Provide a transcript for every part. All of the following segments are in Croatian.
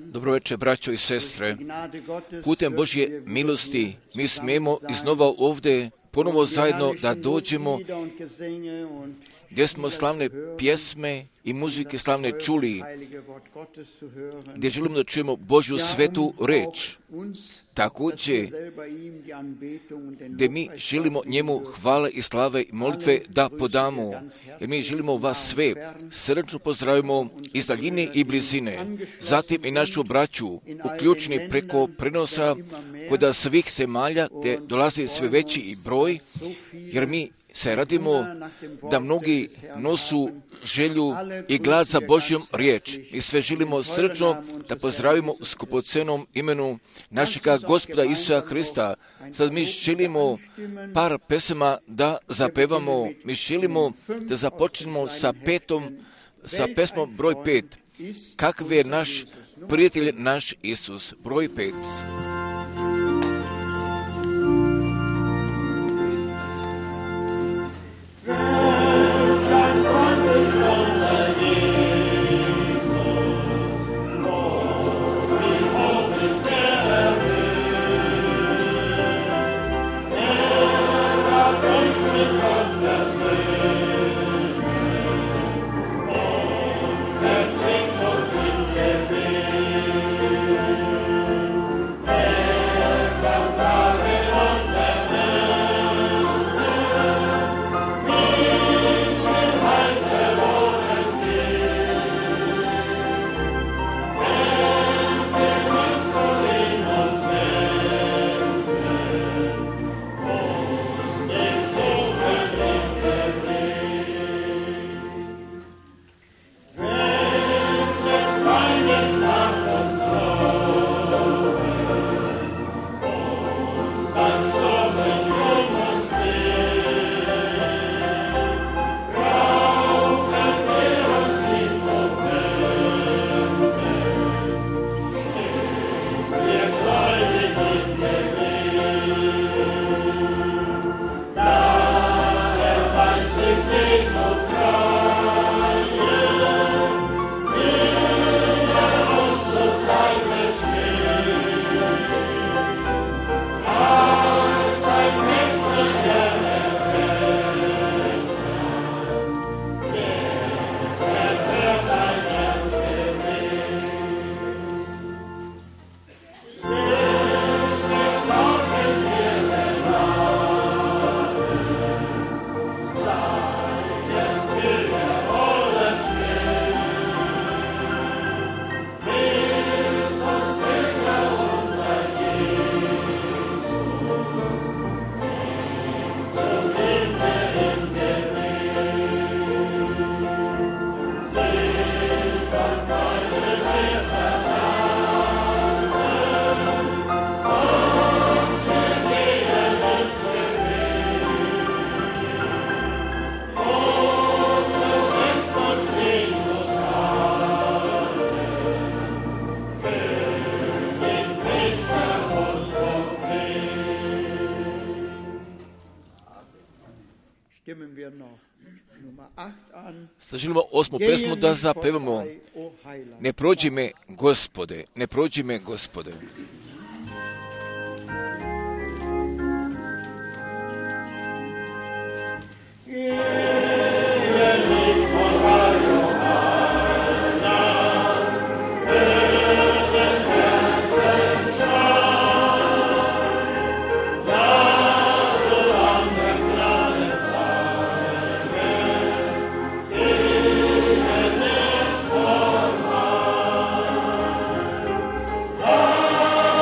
Dobro večer, braćo i sestre. Putem Božje milosti mi smijemo iznova ovdje ponovo zajedno da dođemo gdje smo slavne pjesme i muzike slavne čuli, gdje želimo da čujemo Božju svetu reč. Također, gdje mi želimo njemu hvale i slave i molitve da podamo, jer mi želimo vas sve srdačno pozdravimo iz daljine i blizine, zatim i našu braću uključeni preko prenosa kod svih zemalja gdje dolazi sve veći i broj, jer mi se radimo da mnogi nosu želju i glad za Božjom riječ. Mi sve želimo srčno da pozdravimo u skupocenom imenu našega Gospoda Isusa Hrista. Sad mi želimo par pesama da zapevamo. Mi želimo da započnemo sa pesmom broj 5. Kakav je naš prijatelj, naš Isus. Broj 5. Želimo 8. pesmu da zapevamo. Ne prođi me, Gospode, ne prođi me, Gospode. Oh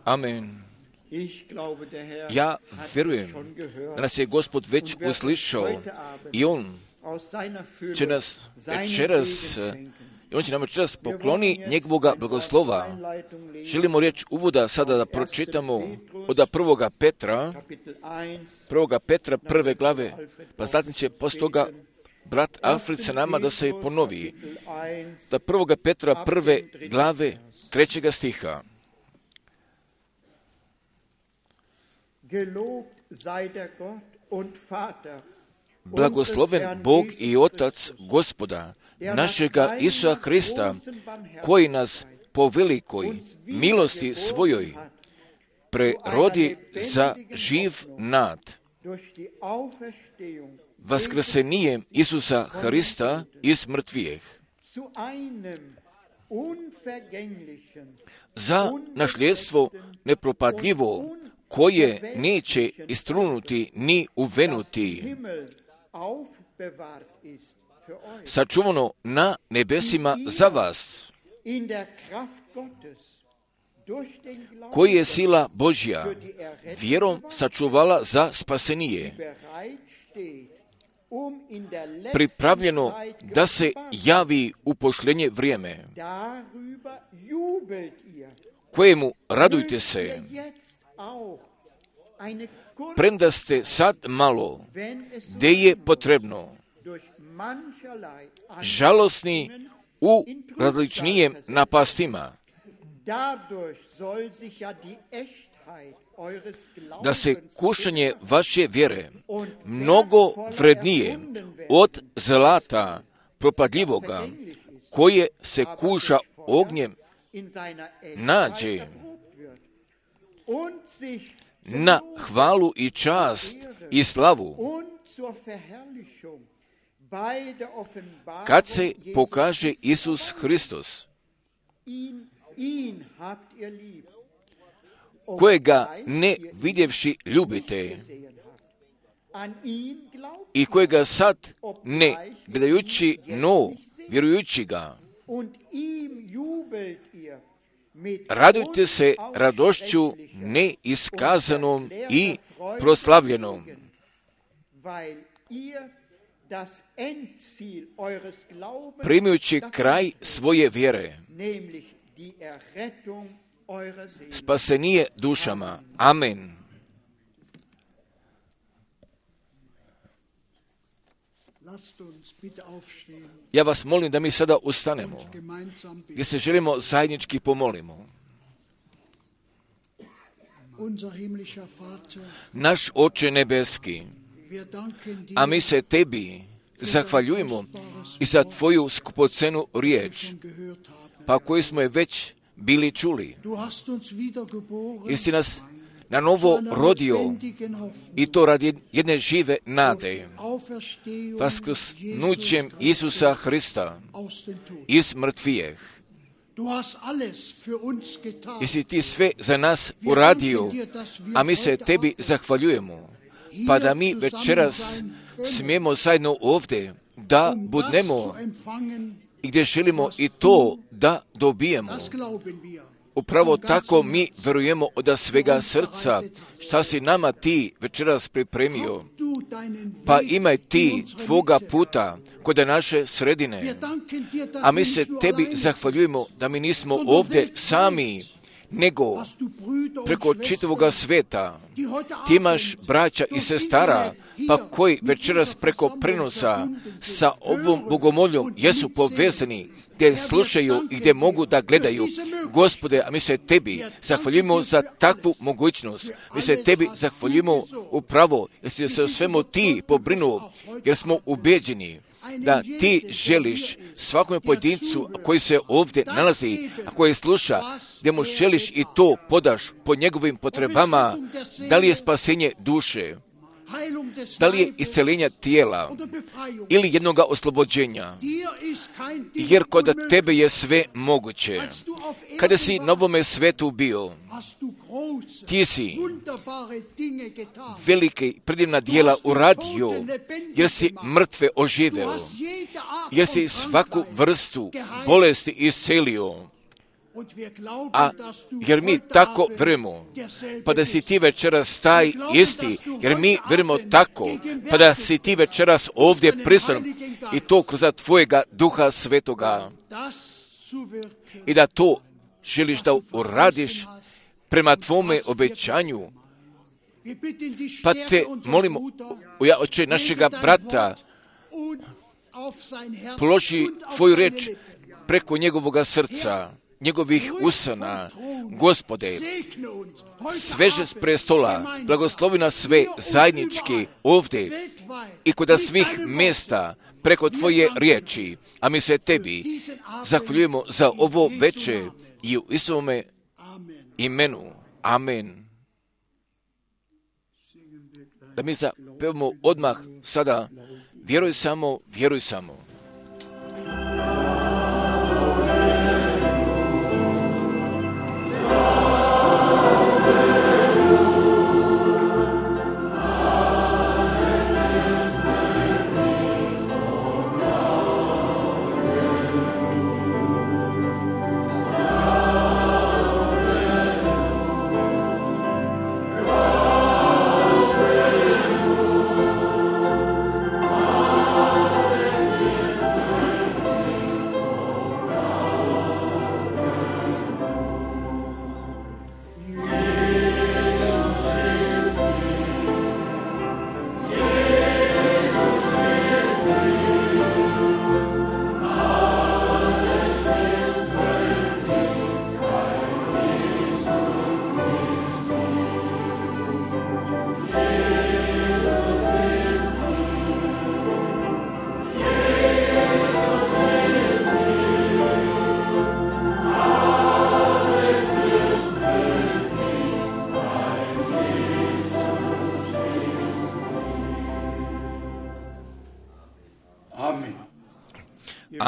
Amen. Ja vjerujem da nas je Gospod već uslišao i On će nas večeras, On će nam večeras pokloni njegovoga blagoslova. Želimo riječ uvoda sada da pročitamo od prvoga Petra prve glave, pa zatim će poslije toga brat Alfred sa nama da se ponovi. Da prvoga Petra prve glave 3. stiha. Blagosloven Bog i Otac Gospoda, našega Isusa Hrista, koji nas po velikoj milosti svojoj prerodi za živ nad vaskrsenjem Isusa Hrista iz mrtvijeh, za nasljedstvo nepropadljivo, koje neće istrunuti ni uvenuti, sačuvano na nebesima za vas, koji je sila Božja vjerom sačuvala za spasenije, pripravljeno da se javi u pošljenje vrijeme, kojemu radujte se, premda ste sad malo, gdje je potrebno, žalosni u različnijem napastima, da se kušanje vaše vjere mnogo vrednije od zlata propadljivoga, koje se kuša ognjem, nađe na hvalu i čast i slavu, kad se pokaže Isus Hristos, kojega ne vidjevši ljubite i kojega sad ne gledajući, no vjerujući ga, radujte se radošću neiskazanom i proslavljenom, primajući kraj svoje vjere, spasenije dušama. Amen. Ja vas molim da mi sada ustanemo, gdje se želimo zajednički pomolimo. Naš Oče nebeski, a mi se tebi zahvaljujemo i za tvoju skupocenu riječ, pa koju smo je već bili čuli. Jesi nas na novo rodio i to radi jedne žive nade, vaskrsnućem Isusa Hrista iz mrtvijeh. Jesi ti sve za nas uradio, a mi se tebi zahvaljujemo, pa da mi večeras smijemo zajedno ovdje da budnemo i gdje želimo i to da dobijemo. Upravo tako mi verujemo od svega srca šta si nama ti večeras pripremio. Pa imaj ti tvoga puta kod naše sredine. A mi se tebi zahvaljujemo da mi nismo ovdje sami, nego preko čitavoga sveta. Ti imaš braća i sestara, pa koji večeras preko prenosa sa ovom bogomoljom jesu povezani, gdje slušaju i gdje mogu da gledaju. Gospode, a mi se tebi zahvaljujemo za takvu mogućnost. Mi se tebi zahvaljujemo upravo, jer si se o svemu ti pobrinuo, jer smo ubeđeni da ti želiš svakome pojedincu koji se ovdje nalazi, a koji sluša, gdje mu želiš i to podaš po njegovim potrebama, da li je spasenje duše, da li je isceljenja tijela ili jednoga oslobođenja, jer kod tebe je sve moguće. Kada si na ovome svetu bio, ti si velike predivna djela uradio, jer si mrtve oživeo, jer si svaku vrstu bolesti iscelio. jer mi tako vjerujemo, pa da si ti večeras taj isti, jer mi vjerujemo tako, pa da si ti večeras ovdje prisutan i to kroz tvojega Duha Svetoga i da to želiš da uradiš prema tvome obećanju. Pa te molimo, oče našega brata, položi tvoju reč preko njegovoga srca, njegovih usana. Gospode, sveže s prestola, blagoslovi nas sve zajednički ovdje i kod svih mjesta preko tvoje riječi, a mi se tebi zahvaljujemo za ovo veče i u Isovome imenu. Amen. Da mi zapevamo odmah sada, vjeruj samo, vjeruj samo.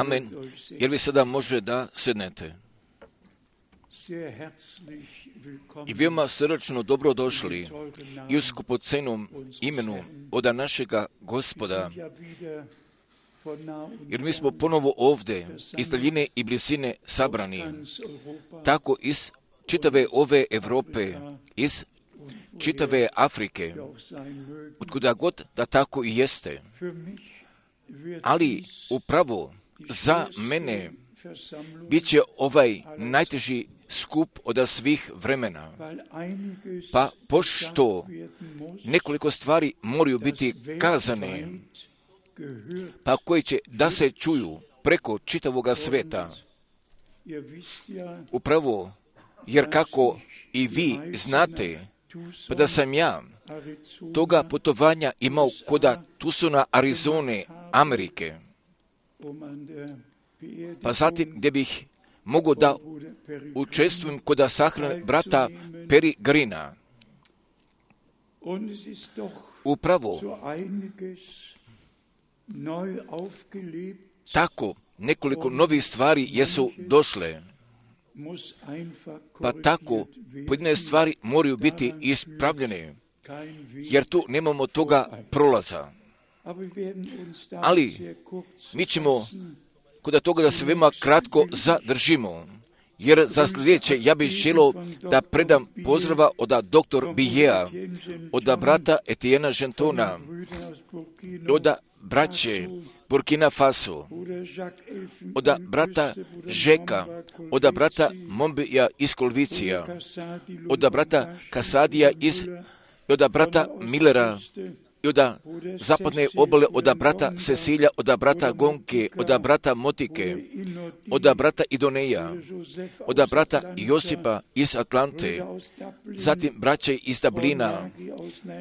Amen. Jer vi sada može da sednete. I veoma srdačno dobrodošli i u skupocenom imenu od našega Gospoda. Jer mi smo ponovo ovdje iz daljine i blizine sabrani, tako iz čitave ove Evrope, iz čitave Afrike, otkuda god da tako i jeste. Ali upravo za mene bit će ovaj najteži skup od svih vremena. Pa pošto nekoliko stvari moraju biti kazane, pa koji će da se čuju preko čitavoga sveta. Upravo, jer kako i vi znate, pa da sam ja toga putovanja imao koda Tucsona, Arizone, Amerike, pa zatim gdje bih mogao da učestvujem kod sahrane brata Peregrina. Upravo tako nekoliko novih stvari jesu došle, pa tako pojedine stvari moraju biti ispravljene, jer tu nemamo toga prolaza. Ali mi ćemo kod toga da se veoma kratko zadržimo, jer za sljedeće ja bih želio da predam pozdrava od dr. Bijea, od brata Etiena Gentona, od braće Burkina Faso, od brata Žeka, od brata Mombija iz Kolvicija, od brata Kasadija od brata Millera, i od zapadne obale, od brata Cecilija, od brata Gonke, od brata Motike, od brata Idoneja, od brata Josipa iz Atlante, zatim braće iz Dublina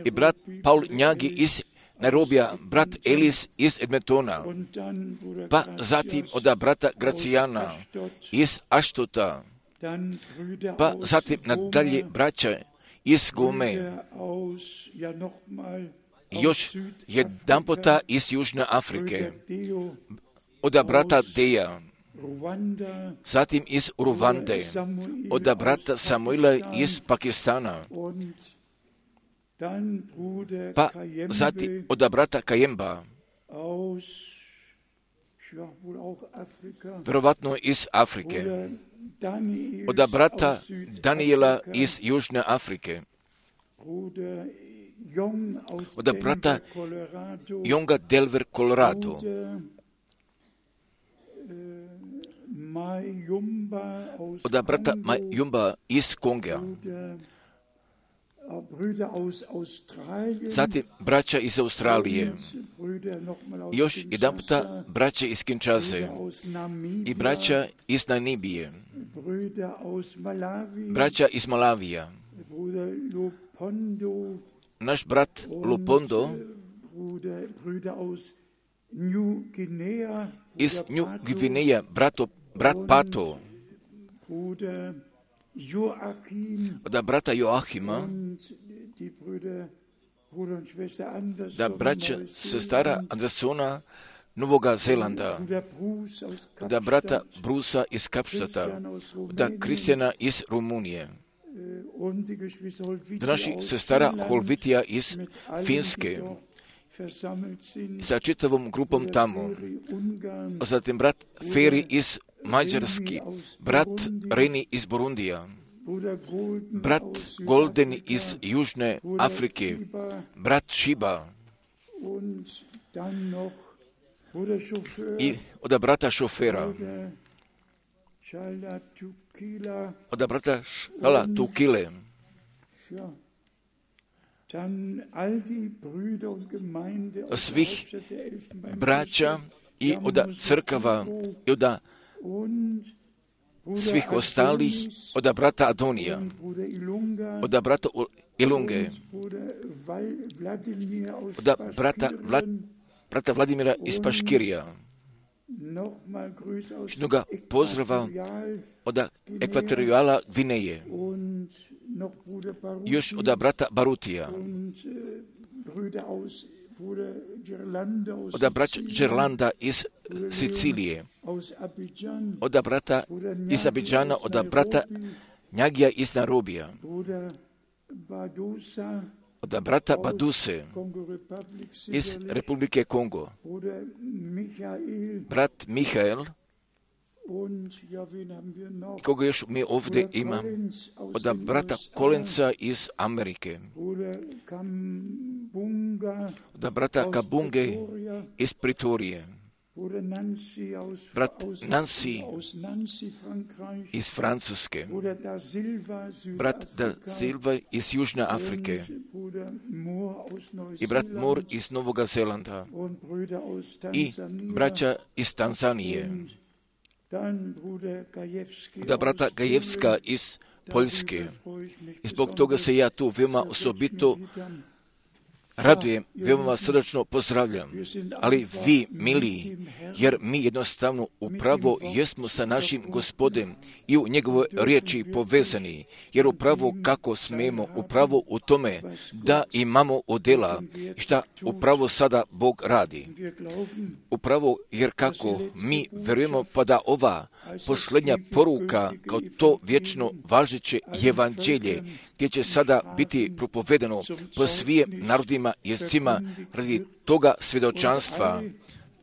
i brat Paul Njagi iz Nairobija, brat Elis iz Edmontona, pa zatim od brata Gracijana iz Ashtota, pa zatim nadalje braća iz Gome, još jedan puta iz Južne Afrike, od brata Deja, zatim iz Ruande, od brata Samuela iz Pakistana, pa zatim od brata Kajemba Vjerovatno iz Afrike. Od brata Daniela iz Južne Afrike. Od brata Jonga Delver, Colorado. Od brata Mayumba iz Konga. Zatim braća iz Australije. Još jedan puta braća iz Kinshase i braća iz Namibije. Braća iz Malavija. Naš brat Lupondo iz New Guinea, brat Pato, od brata Joachima, da braća sestara Andersona Novoga Zelanda, da brata Brusa iz Kapštata, da Kristjana iz Rumunije, da naši sestara Holvitija iz Finske, sa čitavom grupom tamo, zatim brat Feri iz Mađarski, brat Reni iz Burundija, brat Golden iz Južne Afrike, brat Šiba i od brata Šofera, od brata Šala Tukile, svih braća i od crkava i od svih ostalih, od brata Adonija, od brata Ilunge, od brata Vladimira iz Paškirija. Šnoga pozdrava od Ekvatorijala Gvineje, još od brata Barutija, od braća Gerlanda iz Sicilije, od brata iz Abidžana, od brata Njagija iz Narobija, od brata Baduse iz Republike Kongo, brat Mihael, i koga još mi ovdje ima, od brata Kolenca iz Amerike, od brata Kabunge iz Pritorije, brat Nancy iz Francuske, brat Da Silva iz Južne Afrike i brat Moore iz Novoga Zelanda i braća iz Tanzanije, da brata Gajevska iz Poljske. I zbog toga se ja tu veoma osobito radujem, veoma vas srdačno pozdravljam. Ali vi, mili, jer mi jednostavno upravo jesmo sa našim Gospodem i u njegovoj riječi povezani, jer upravo kako smemo, upravo u tome da imamo odjela i šta upravo sada Bog radi. Upravo jer kako mi verujemo pa da ova posljednja poruka kao to vječno važeće evanđelje gdje će sada biti propovedano po svim narodima, jezicima radi toga svjedočanstva,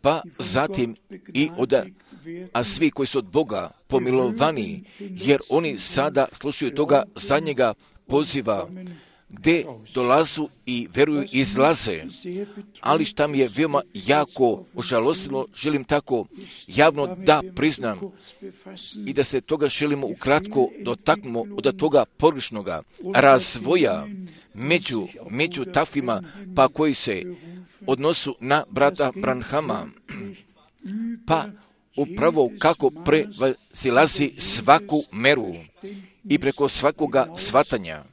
pa zatim i a svi koji su od Boga pomilovani, jer oni sada slušaju toga zadnjega poziva, gdje dolazu i veruju i izlaze. Ali šta mi je veoma jako ožalostilo, želim tako javno da priznam i da se toga želimo ukratko dotaknemo od toga pogrešnoga razvoja među takvima pa koji se odnosu na brata Branhama, pa upravo kako prevazilazi svaku meru i preko svakoga shvatanja.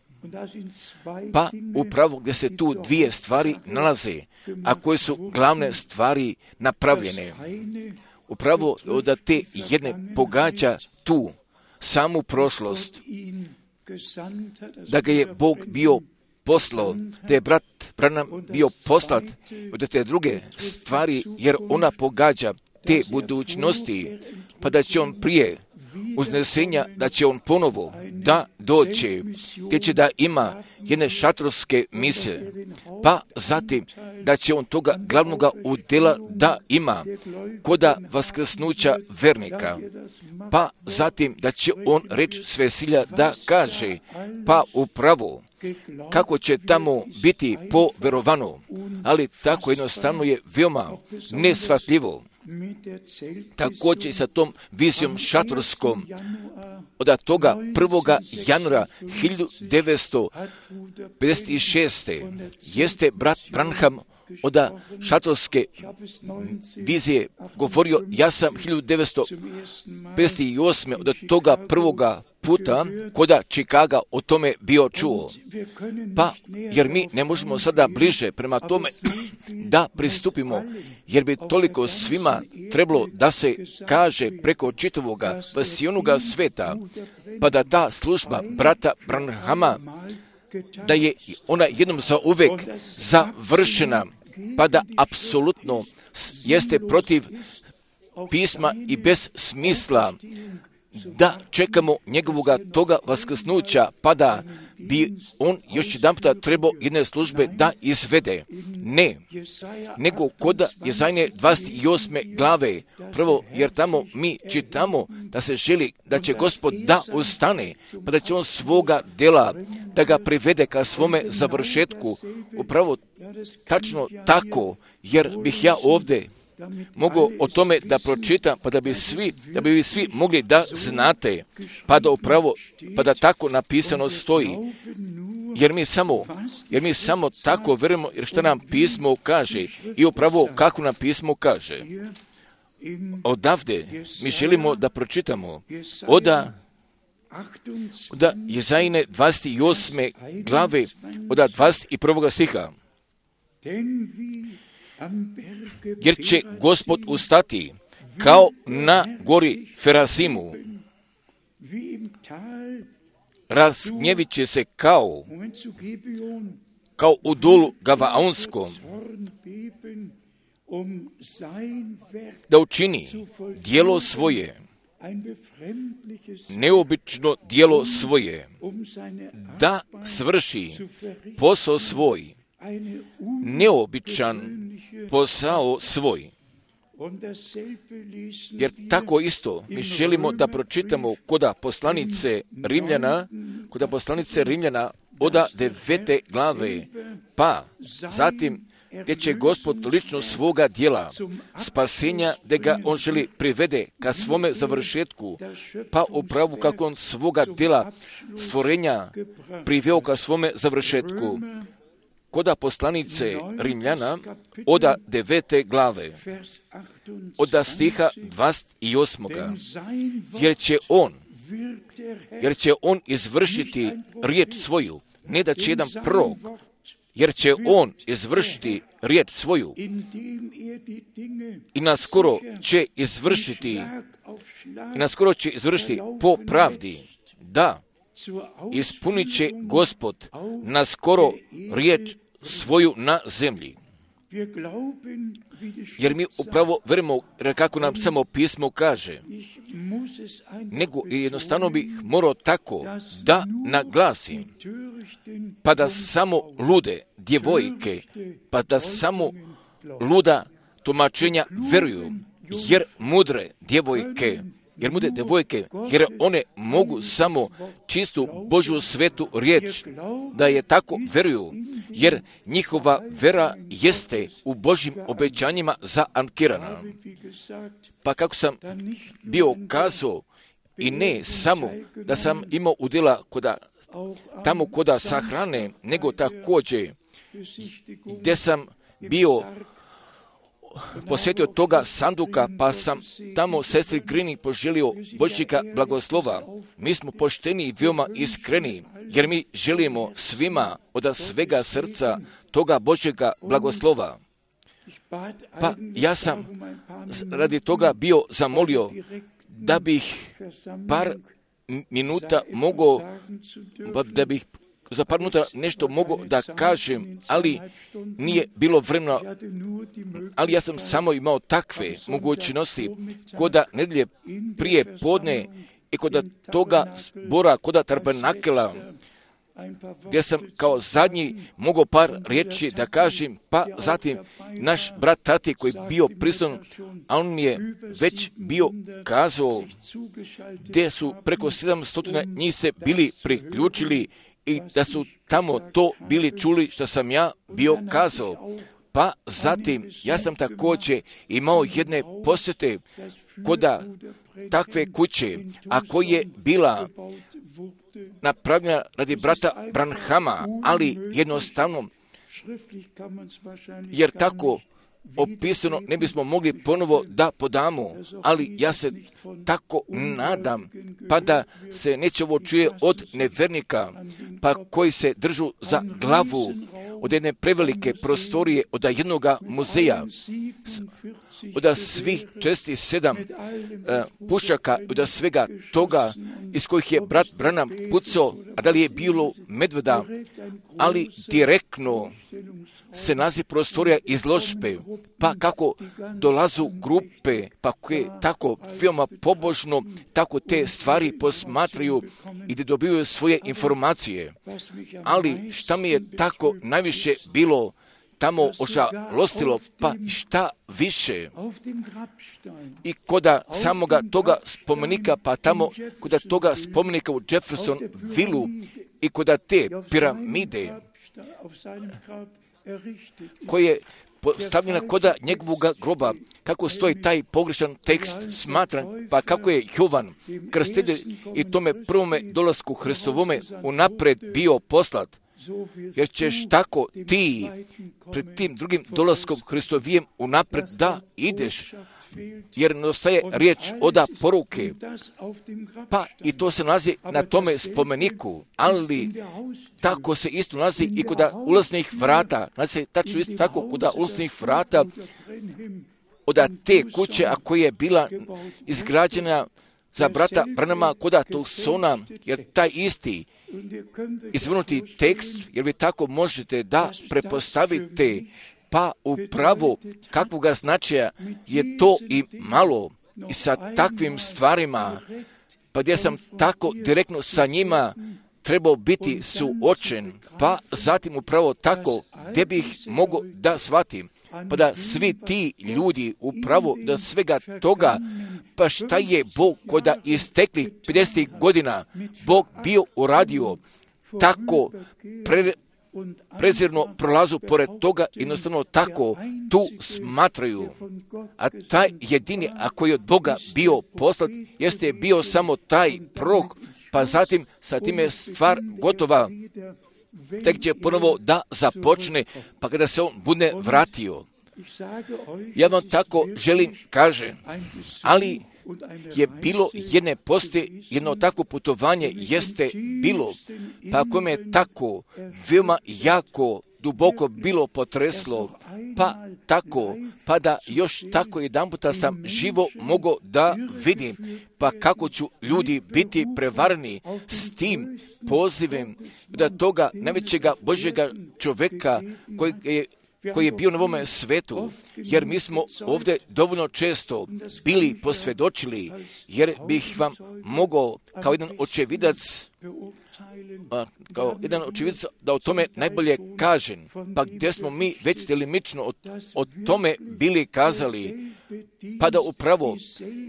Pa upravo gdje se tu dvije stvari nalaze, a koje su glavne stvari napravljene. Upravo da te jedne pogađa tu samu prošlost, da ga je Bog bio poslao, da je brat Branham bio poslat od te druge stvari, jer ona pogađa te budućnosti, pa da će on prije uznesenja, da će on ponovo da doće, gdje će da ima jedne šatorske mise, pa zatim da će on toga glavnoga udjela da ima koda vaskrsnuća vernika, pa zatim da će on reč svesilja da kaže, pa upravo kako će tamo biti po verovanu, ali tako jednostavno je veoma nesvatljivo. Također i sa tom vizijom šatorskom od toga 1. januara 1956. jeste brat Branham od šatorske vizije govorio, ja sam 1958. od toga prvoga puta koda Čikaga o tome bio čuo. Pa, jer mi ne možemo sada bliže prema tome da pristupimo, jer bi toliko svima trebalo da se kaže preko čitavoga vasionoga sveta, pa da ta služba brata Branhama, da je ona jednom za uvek završena, pa da apsolutno jeste protiv pisma i bez smisla da čekamo njegovoga toga vaskrsnuća, pa da bi on još jedan puta trebao jedne službe da izvede. Ne, nego koda Jezajne 28. glave, prvo, jer tamo mi čitamo da se želi da će Gospod da ustane, pa da će on svoga dela da ga privede ka svome završetku. Upravo tačno tako, jer bih ja ovdje mogu o tome da pročitam, pa da bi vi svi mogli da znate, pa da tako napisano stoji. Jer mi samo tako verujemo, jer što nam pismo kaže i upravo kako nam pismo kaže. Odavde mi želimo da pročitamo od Jezajne 28. glave od 21. stiha. Jer će Gospod ustati kao na gori Ferazimu, razgnjevit će se kao u dolu Gavaonskom, da učini djelo svoje, neobično djelo svoje, da svrši posao svoj, neobičan posao svoj. Jer tako isto mi želimo da pročitamo koda poslanice Rimljana od 9. glave, pa zatim gdje će Gospod lično svoga djela spasenja, da ga on želi privede ka svome završetku, pa upravo kako on svoga djela stvorenja priveo ka svome završetku. Koda poslanice Rimljana od 9. glave, od stiha 28. Jer će on izvršiti riječ svoju, ne da će jedan prorok, jer će on izvršiti riječ svoju i naskoro će izvršiti po pravdi, da ispunit će Gospod naskoro riječ svoju na zemlji. Jer mi upravo verujemo, kako nam samo pismo kaže, nego jednostavno bih morao tako da naglasim, pa da samo lude djevojke, pa da samo luda tumačenja veruju, jer mudre djevojke, jer one mogu samo čistu Božju svetu riječ, da je tako veruju, jer njihova vera jeste u Božjim obećanjima zaankirana. Pa kako sam bio kazao, i ne samo da sam imao udjela tamo koda sahrane, nego također gdje sam bio posjetio toga sanduka, pa sam tamo sestri Grini poželio Božjega blagoslova. Mi smo pošteni i veoma iskreni, jer mi želimo svima od svega srca toga Božjega blagoslova. Pa ja sam radi toga bio zamolio da bih par minuta mogao, da bih za par minuta nešto mogu da kažem, ali nije bilo vremena, ali ja sam samo imao takve mogućnosti koda nedelje prije podne i kod toga zbora, kod tabernakela, gdje sam kao zadnji mogao par riječi da kažem, pa zatim naš brat Tati koji je bio prisutan, a on mi je već bio kazao gdje su preko 700 njih se bili priključili i da su tamo to bili čuli što sam ja bio kazao. Pa zatim ja sam također imao jedne posjete kod takve kuće, a koja je bila napravljena radi brata Branhama, ali jednostavno, jer tako opisano ne bismo mogli ponovo da podamo, ali ja se tako nadam, pa da se neće ovo čuje od nevernika, pa koji se držu za glavu od jedne prevelike prostorije, od jednoga muzeja, od svih 47 pušaka, od svega toga iz kojih je brat Branham pucao, a da li je bilo medveda, ali direktno se naziv prostorija izložbe, pa kako dolazu grupe, pa koje tako veoma pobožno, tako te stvari posmatraju i da dobiju svoje informacije. Ali šta mi je tako najviše bilo tamo ožalostilo, pa šta više. I koda samoga toga spomenika, pa tamo koda toga spomenika u Jeffersonvilleu i koda te piramide koje je postavljena koda njegovog groba, kako stoji taj pogrešan tekst smatran, pa kako je Jovan krstitelj i tome prvome dolasku Hristovome unapred bio poslat, jer ćeš tako ti pred tim drugim dolaskom Hristovijem unapred da ideš, jer nedostaje riječ oda poruke, pa i to se nalazi na tome spomeniku, ali tako se isto nalazi i kod ulaznih vrata, nalazi se tačno isto tako kod ulaznih vrata od te kuće, a koja je bila izgrađena za brata Branhama kod Tucsona, jer taj isti izvrnuti tekst, jer vi tako možete da prepostavite, pa upravo kakvoga značaja je to i malo i sa takvim stvarima, pa gdje sam tako direktno sa njima trebao biti suočen, pa zatim upravo tako gdje bih mogao da shvatim, pa da svi ti ljudi upravo da svega toga, pa šta je Bog koda istekli 50 godina Bog bio uradio, tako prezirno prolazu pored toga, jednostavno tako tu smatraju. A taj jedini, a koji je od Boga bio poslat, jeste bio samo taj prorok, pa zatim sa tim je stvar gotova, tek će ponovo da započne, pa kada se on bude vratio. Ja vam tako želim kažem, ali je bilo jedne posti, jedno tako putovanje jeste bilo, pa kome je tako veoma jako duboko bilo potreslo, pa tako, pa da još tako jedan puta sam živo mogao da vidim, pa kako ću ljudi biti prevarni s tim pozivem da toga najvećega Božjega čovjeka koji je bio na ovome svetu, jer mi smo ovdje dovoljno često bili posvjedočili, jer bih vam mogao kao jedan očevidac da o tome najbolje kažem, pa gdje smo mi već delimično o tome bili kazali, pa da upravo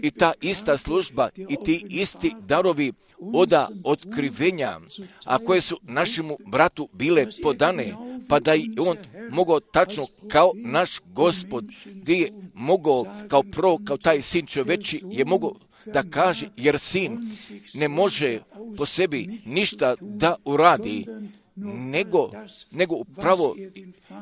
i ta ista služba i ti isti darovi oda otkrivenja, a koje su našemu bratu bile podane, pa da i on mogao tačno kao naš Gospod, gdje je mogao kao prvo, kao taj sin čoveči, je mogao da kaže, jer sin ne može po sebi ništa da uradi, nego upravo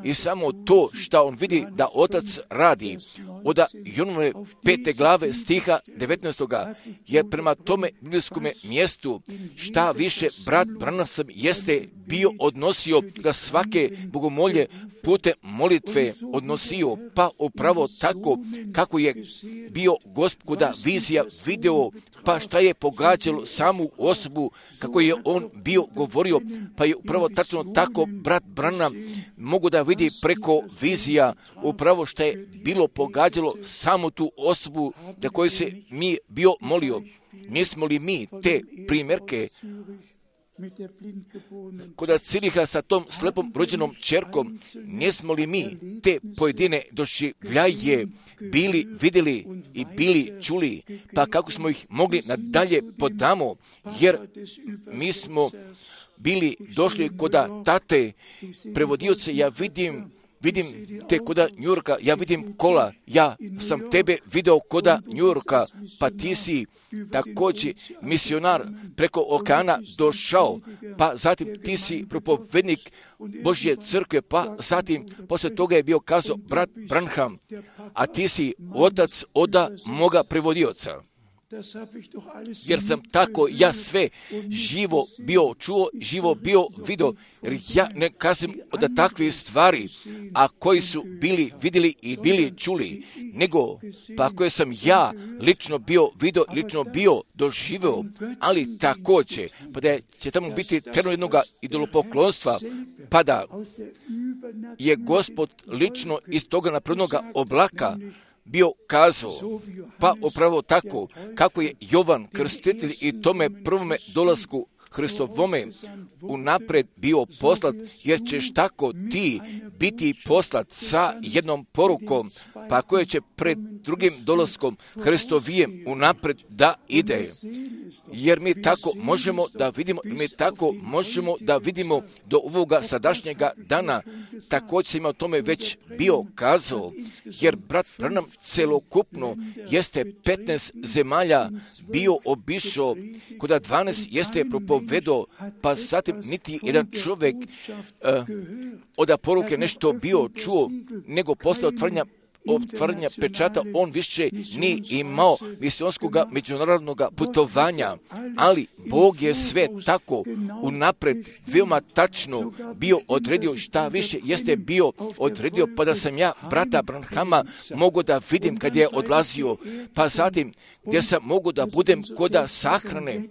i samo to što on vidi da otac radi. Od Jonove 5. glave stiha 19. jer prema tome biblijskome mjestu šta više brat Branham jeste bio odnosio da svake bogomolje putem molitve odnosio, pa upravo tako kako je bio Gospoda vizija video, pa šta je pogađalo samu osobu, kako je on bio govorio, pa je upravo upravo tačno tako brat Branham mogu da vidi preko vizija upravo što je bilo pogađalo samo tu osobu za koju se mi bio molio. Nismo li mi te primjerke kod Ciriha sa tom slepom rođenom čerkom, nismo li mi te pojedine doživljaje bili vidjeli i bili čuli, pa kako smo ih mogli nadalje podamo, jer mi smo bili došli koda tate prevodioce. Ja vidim te koda Njurka, ja vidim kola, ja sam tebe video koda Njurka, pa ti si također misionar preko okeana došao, pa zatim ti si propovednik Božje crkve, pa zatim poslije toga je bio kazao brat Branham, a ti si otac oda moga prevodioca. Jer sam tako ja sve živo bio čuo, živo bio vidio, jer ja ne kažem od takvih stvari, a koji su bili vidjeli i bili čuli, nego pa koje sam ja lično bio vidio, lično bio doživio, ali također, pa da će tamo biti terno jednoga idolopoklonstva, pa da je Gospod lično iz toga naprednoga oblaka bio kazao, pa upravo tako, kako je Jovan Krstitelj i tome prvome dolasku Hristovome unaprijed bio poslat, jer ćeš tako ti biti poslat sa jednom porukom, pa koje će pred drugim dolaskom Hristovijem unaprijed da ide. Jer mi tako možemo da vidimo do ovoga sadašnjega dana, također sam o tome već bio kazao, jer brat Branham celokupno jeste 15 zemalja bio obišao, koda 12 jeste propovedao, pa zatim niti jedan čovjek od poruke nešto bio čuo, nego posle otvaranja pečata on više nije imao misionskog međunarodnog putovanja, ali Bog je sve tako unapred veoma tačno bio odredio, šta više jeste bio odredio, pa da sam ja brata Branhama mogu da vidim kad je odlazio, pa zatim gdje sam mogu da budem koda sahrane,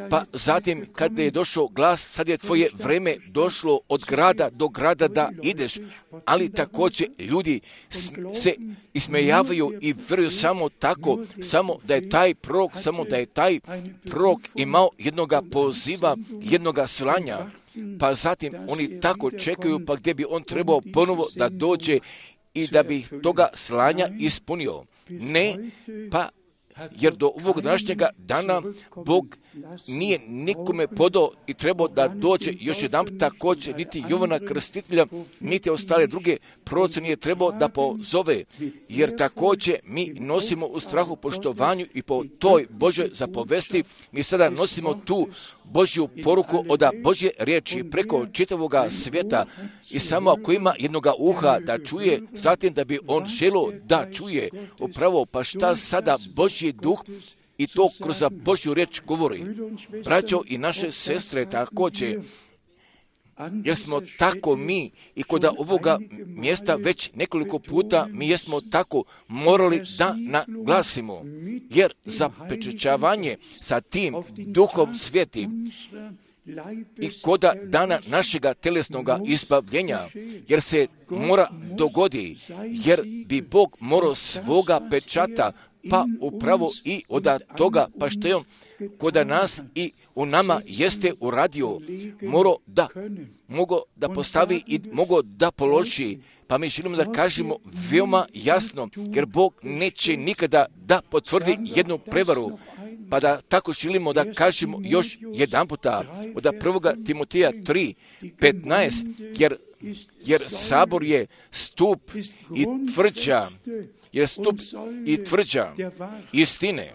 pa zatim kad je došao glas, sad je tvoje vreme došlo od grada do grada da ideš, ali također ljudi se ismejavaju i vjeruju samo tako, samo da je taj prorok imao jednoga poziva, jednoga slanja, pa zatim oni tako čekaju, pa gdje bi on trebao ponovo da dođe i da bi toga slanja ispunio. Ne, pa jer do ovog današnjega dana Bog nije nikome podao i trebao da dođe još jedan također, niti Jovana Krstitelja, niti ostale druge proroce nije trebao da pozove, jer također mi nosimo u strahu poštovanju i po toj Božoj zapovesti, mi sada nosimo tu Božju poruku od Božje riječi preko čitavoga svijeta i samo ako ima jednoga uha da čuje, zatim da bi on želio da čuje upravo, pa šta sada Božji duh i to kroz Božju riječ govori. Braćo i naše sestre također, jer smo tako mi i kod ovoga mjesta već nekoliko puta mi jesmo tako morali da naglasimo, jer zapečaćavanje sa tim duhom svetim i koda dana našega telesnoga izbavljenja, jer se mora dogodi, jer bi Bog morao svoga pečata, pa upravo i od toga, pa što je on koda nas i u nama jeste uradio, mogo da postavi i mogo da položi, pa mi želimo da kažemo veoma jasno, jer Bog neće nikada da potvrdi jednu prevaru, pa da tako želimo da kažemo još jedan puta od 1. Timoteja 3:15, jer sabor je stup i tvrđa istine,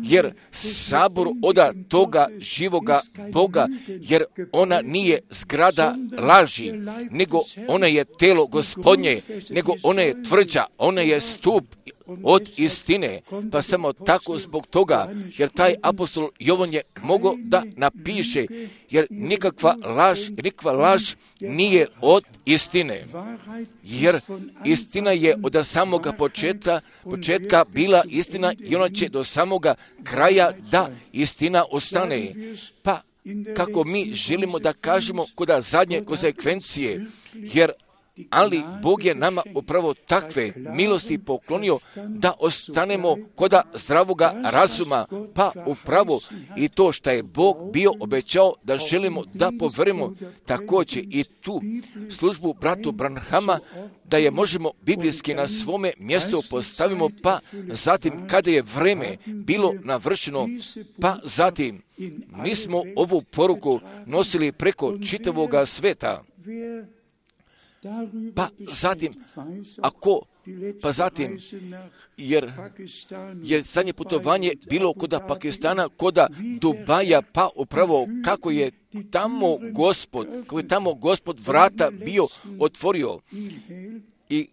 jer sabor od toga živoga Boga, jer ona nije zgrada laži, nego ona je telo Gospodnje, nego ona je tvrđa, ona je stup od istine, pa samo tako zbog toga, jer taj apostol Jovan je mogao da napiše, jer nikakva laž nije od istine, jer istina je od samoga početka bila istina i ona će do samoga kraja da istina ostane. Pa kako mi želimo da kažemo kod zadnje konsekvencije, jer ali Bog je nama upravo takve milosti poklonio da ostanemo kod zdravoga razuma, pa upravo i to što je Bog bio obećao da želimo da poverimo također i tu službu bratu Branhama, da je možemo biblijski na svome mjestu postavimo, pa zatim kada je vreme bilo navršeno, pa zatim mi smo ovu poruku nosili preko čitavoga sveta. Pa zatim, jer je zadnje putovanje bilo kod Pakistana, kod Dubaja, pa upravo kako je tamo Gospod vrata bio otvorio. I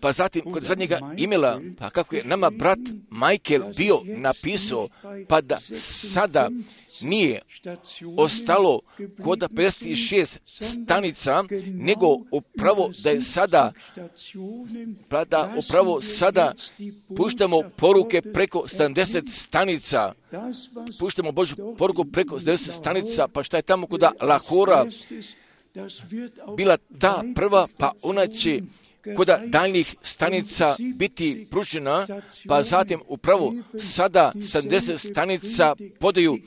pa zatim kod zadnjega imela, pa kako je nama brat Michael bio napisao, pa da sada nije ostalo kod 56 stanica, nego upravo da je sada, pa da upravo sada puštamo poruke preko 70 stanica, puštamo Božju poruku preko 70 stanica, pa šta je tamo kod Lahora bila ta prva, pa ona će kod daljnjih stanica biti pružena, pa zatim upravo sada 70 stanica podaju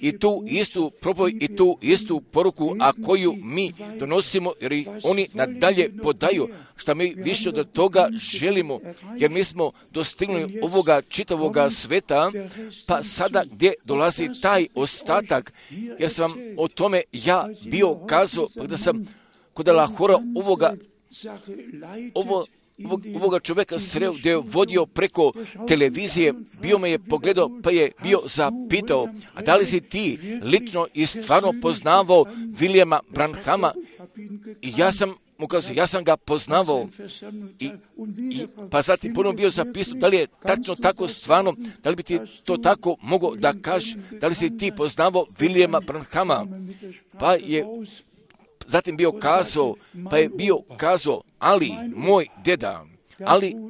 i tu istu propovijed i tu istu poruku, a koju mi donosimo, jer oni nadalje podaju, što mi više od toga želimo, jer mi smo dostigli ovoga čitavoga sveta, pa sada gdje dolazi taj ostatak, jer sam o tome ja bio kazao, pa da sam kod Lahora ovoga čovjeka sreo gdje je vodio preko televizije, bio me je pogledao, pa je bio zapitao, a da li si ti lično i stvarno poznavao Williama Branhama? I ja sam mu kazao, ja sam ga poznavao. Pa zatim ponovno bio zapisao, da li je tačno tako stvarno, da li bi ti to tako mogao da kažeš, da li si ti poznavao Williama Branhama? Pa je zatim bio kazao, ali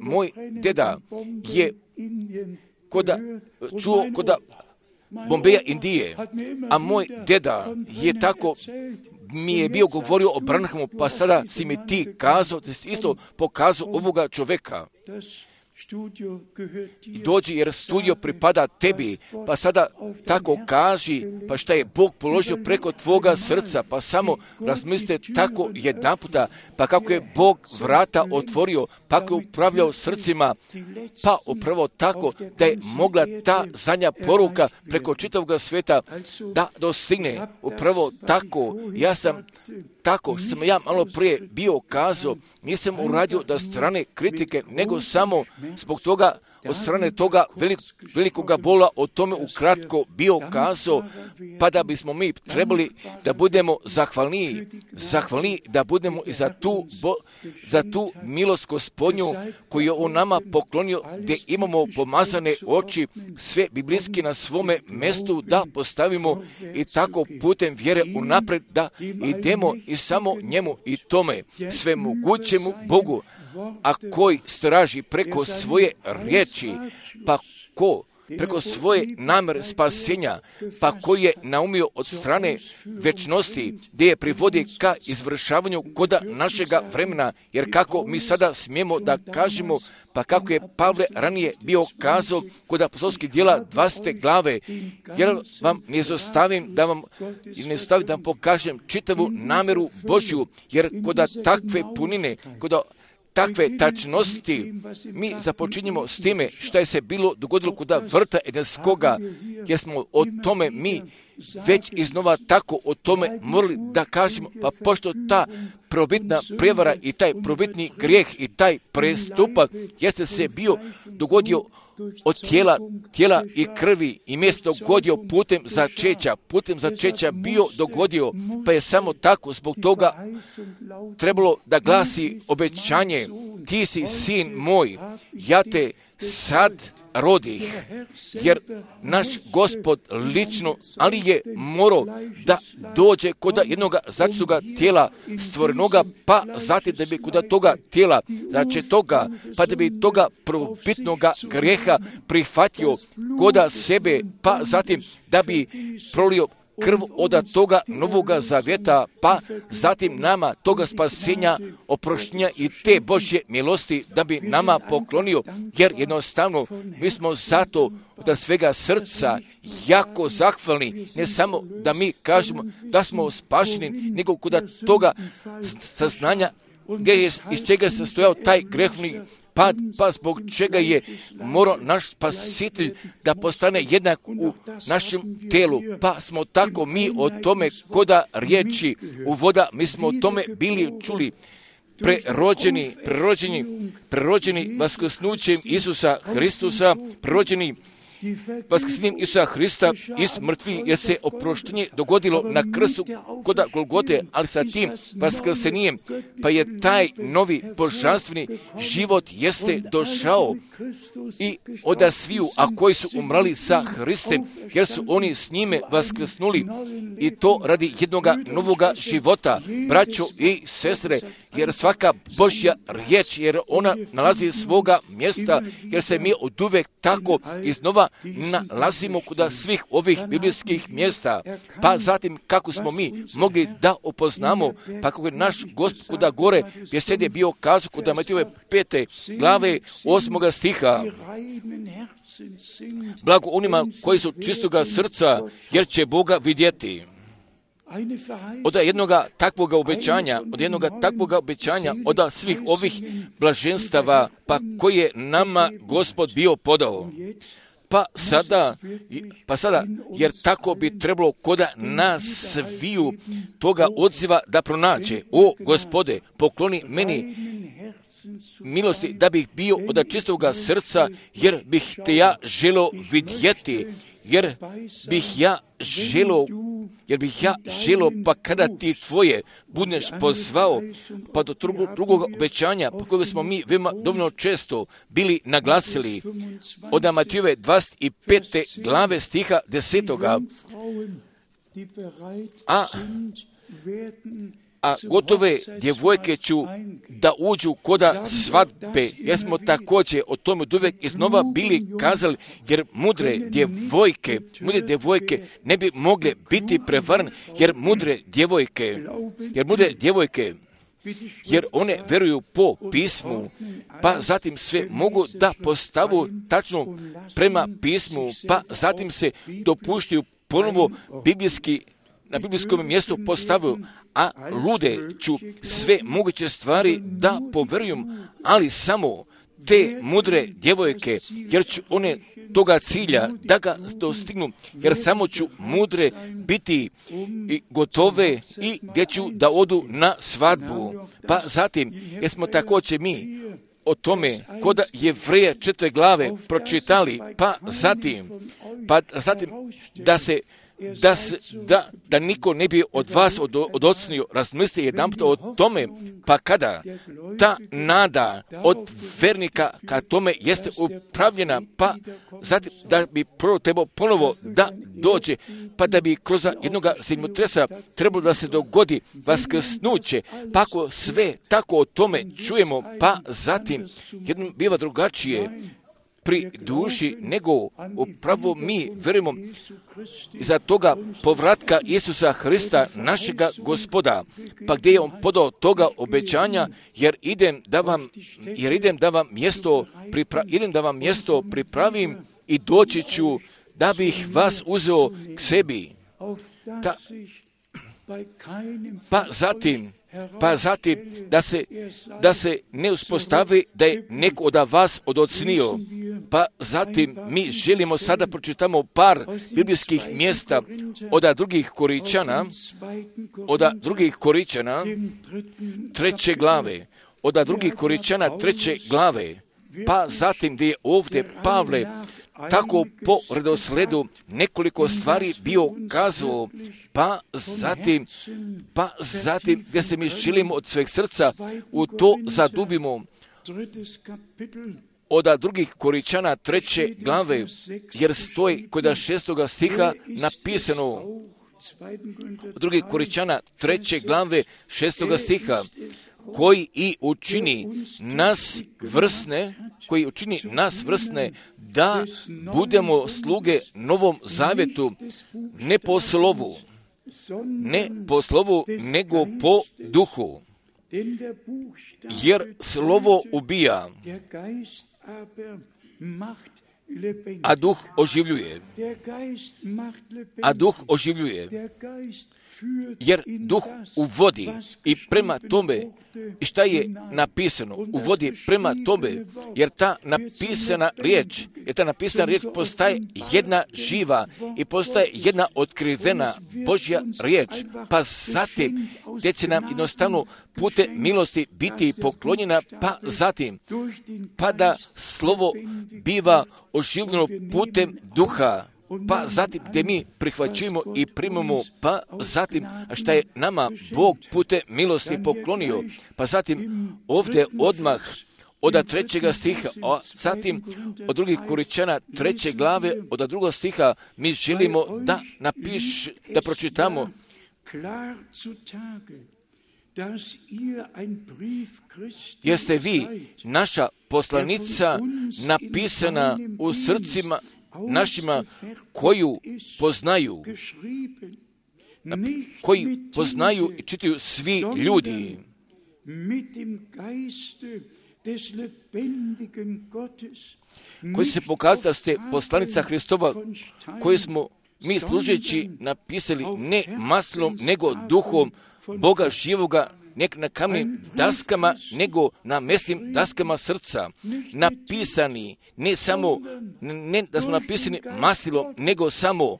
moj deda je čuo kod Bombeja, Indije, a moj deda je tako mi je bio govorio o Branhamu, pa sada si mi ti kazao, da si isto pokazao ovoga čovjeka. Dođi, jer studio pripada tebi, pa sada tako kaži, pa šta je Bog položio preko tvoga srca, pa samo razmislite tako jedanputa, pa kako je Bog vrata otvorio, pa kako je upravljao srcima, pa upravo tako da je mogla ta zadnja poruka preko čitavog sveta da dostigne. Upravo tako, tako što sam ja malo prije bio kazao, nisam uradio da strane kritike, nego samo zbog toga, od strane toga velikoga bola, o tome ukratko bio kazao, pa da bismo mi trebali da budemo zahvalniji da budemo i za tu milost Gospodnju koju je on nama poklonio, gdje imamo pomazane oči, sve biblijski na svome mjestu da postavimo i tako putem vjere unaprijed da idemo i samo njemu i tome svemogućemu Bogu, a koji straži preko svoje riječi, pa ko preko svoje namjere spasenja, pa koji je naumio od strane večnosti, gdje je privodi ka izvršavanju koda našega vremena, jer kako mi sada smijemo da kažemo, pa kako je Pavle ranije bio kazao kod apostolskih djela 20. glave, jer vam ne izostavim da vam pokažem čitavu namjeru Božju, jer kod takve punine, kod takve tačnosti mi započinjemo s time što je se bilo dogodilo kod vrta Edenskoga, jer smo o tome mi već iznova tako o tome morali da kažemo, pa pošto ta probitna prijevara i taj probitni grijeh i taj prestupak jeste se bio dogodio od tijela i krvi i mjesto dogodio putem začeća bio dogodio, pa je samo tako zbog toga trebalo da glasi obećanje, ti si sin moj, ja te sad rodih, jer naš Gospod lično, ali je morao da dođe kod jednog začetoga tijela stvorenoga, pa zatim da bi kod toga tijela začetoga, pa da bi toga prvobitnoga grijeha prihvatio kod sebe, pa zatim da bi prolio krv od toga novoga zavjeta, pa zatim nama toga spasenja, oproštenja i te Božje milosti da bi nama poklonio, jer jednostavno mi smo zato od svega srca jako zahvalni, ne samo da mi kažemo da smo spašeni, nego kod toga saznanja iz čega se stojao taj grehni pad, pa zbog čega je morao naš spasitelj da postane jednak u našem telu, pa smo tako mi o tome koda riječi u voda, mi smo o tome bili čuli, prerođeni vaskrsnućem Isusa Hristusa, prerođeni vaskrsenjem Isusa Hrista iz mrtvih, jer se oproštenje dogodilo na krstu kod Golgote, ali sa tim vaskrsenjem, pa je taj novi božanstveni život jeste došao i od sviju, a koji su umrali sa Hristem, jer su oni s njime vaskrsnuli, i to radi jednoga novoga života, braćo i sestre, jer svaka Božja riječ, jer ona nalazi svoga mjesta, jer se mi oduvek tako iznova nalazimo kod svih ovih biblijskih mjesta, pa zatim kako smo mi mogli da upoznamo, pa kako je naš Gospod kuda gore besed je bio kazao kod Matejove 5. glave 8. stiha. Blago onima koji su čistoga srca, jer će Boga vidjeti. Od jednoga takvoga obećanja, od svih ovih blaženstava, pa koje nama Gospod bio podao. Pa sada, jer tako bi trebalo koda nas sviju toga odziva da pronađe. O Gospode, pokloni meni milosti da bih bio od čistoga srca, jer bih te ja želo vidjeti, jer bih ja želo, pa kada ti tvoje budeš pozvao, pa do drugog obećanja, po koje smo mi veoma dovoljno često bili naglasili, od Matejove 25. glave stiha 10. A gotove djevojke ću da uđu koda svadbe, jer smo također o tome uvijek iznova bili kazali, jer mudre djevojke ne bi mogle biti prevarne, jer one veruju po pismu, pa zatim sve mogu da postavu tačno prema pismu, pa zatim se dopuštaju ponovo na biblijskom mjestu postavio, a lude ću sve moguće stvari da poverujem, ali samo te mudre djevojke, jer ću one toga cilja da ga dostignu, jer samo ću mudre biti i gotove i gdje ću da odu na svadbu. Pa zatim, jer smo također mi o tome kod Jevreja 4. glave pročitali, pa zatim da niko ne bi od vas odocnio, razmisli jedanput o tome, pa kada ta nada od vernika ka tome jeste upravljena, pa zatim da bi trebao ponovo da dođe, pa da bi kroz jednoga zemljotresa trebalo da se dogodi vaskrsnuće, pa ako sve tako o tome čujemo, pa zatim jednom biva drugačije pri duši, nego upravo mi verujemo iza toga povratka Isusa Hrista, našega Gospoda, pa gdje je on podao toga obećanja, jer idem da vam mjesto pripravim i doći ću da bih vas uzeo k sebi. Pa zatim da se ne uspostavi da je neko od vas odocnio. Pa zatim mi želimo sada pročitamo par biblijskih mjesta od drugih Koričana 3. glave. Od drugih Koričana 3. glave. Pa zatim gdje je ovdje Pavle tako po redosledu nekoliko stvari bio kazao, pa zatim gdje se mi želimo od sveg srca u to zadubimo, od drugih Koričana 3. glave, jer stoji kod 6. stiha napisano, od drugih Koričana 3. glave 6. stiha, koji učini nas vrsne da budemo sluge novom zavjetu, ne po slovu, ne po slovu, nego po duhu. Jer slovo ubija, a duh oživljuje. Jer duh uvodi i prema tome, i šta je napisano, uvodi prema tome, jer ta napisana riječ postaje jedna živa i postaje jedna otkrivena Božja riječ, pa zatim te će nam jednostavno putem milosti biti poklonjena, pa da slovo biva oživljeno putem duha, pa zatim gdje mi prihvaćujemo i primamo, pa zatim šta je nama Bog putem milosti poklonio, pa zatim ovdje odmah od 3. stiha, a zatim od 2. Korinćana 3. glave, od 2. stiha mi želimo da pročitamo jer ste vi naša poslanica napisana u srcima našima koji poznaju i čitaju svi ljudi. Koji se pokazali da ste poslanica Hristova, koji smo mi služeći napisali ne maslom, nego duhom Boga živoga, ne na kamnim daskama, nego na mesnim daskama srca. Napisani, ne da smo napisani maslom, nego samo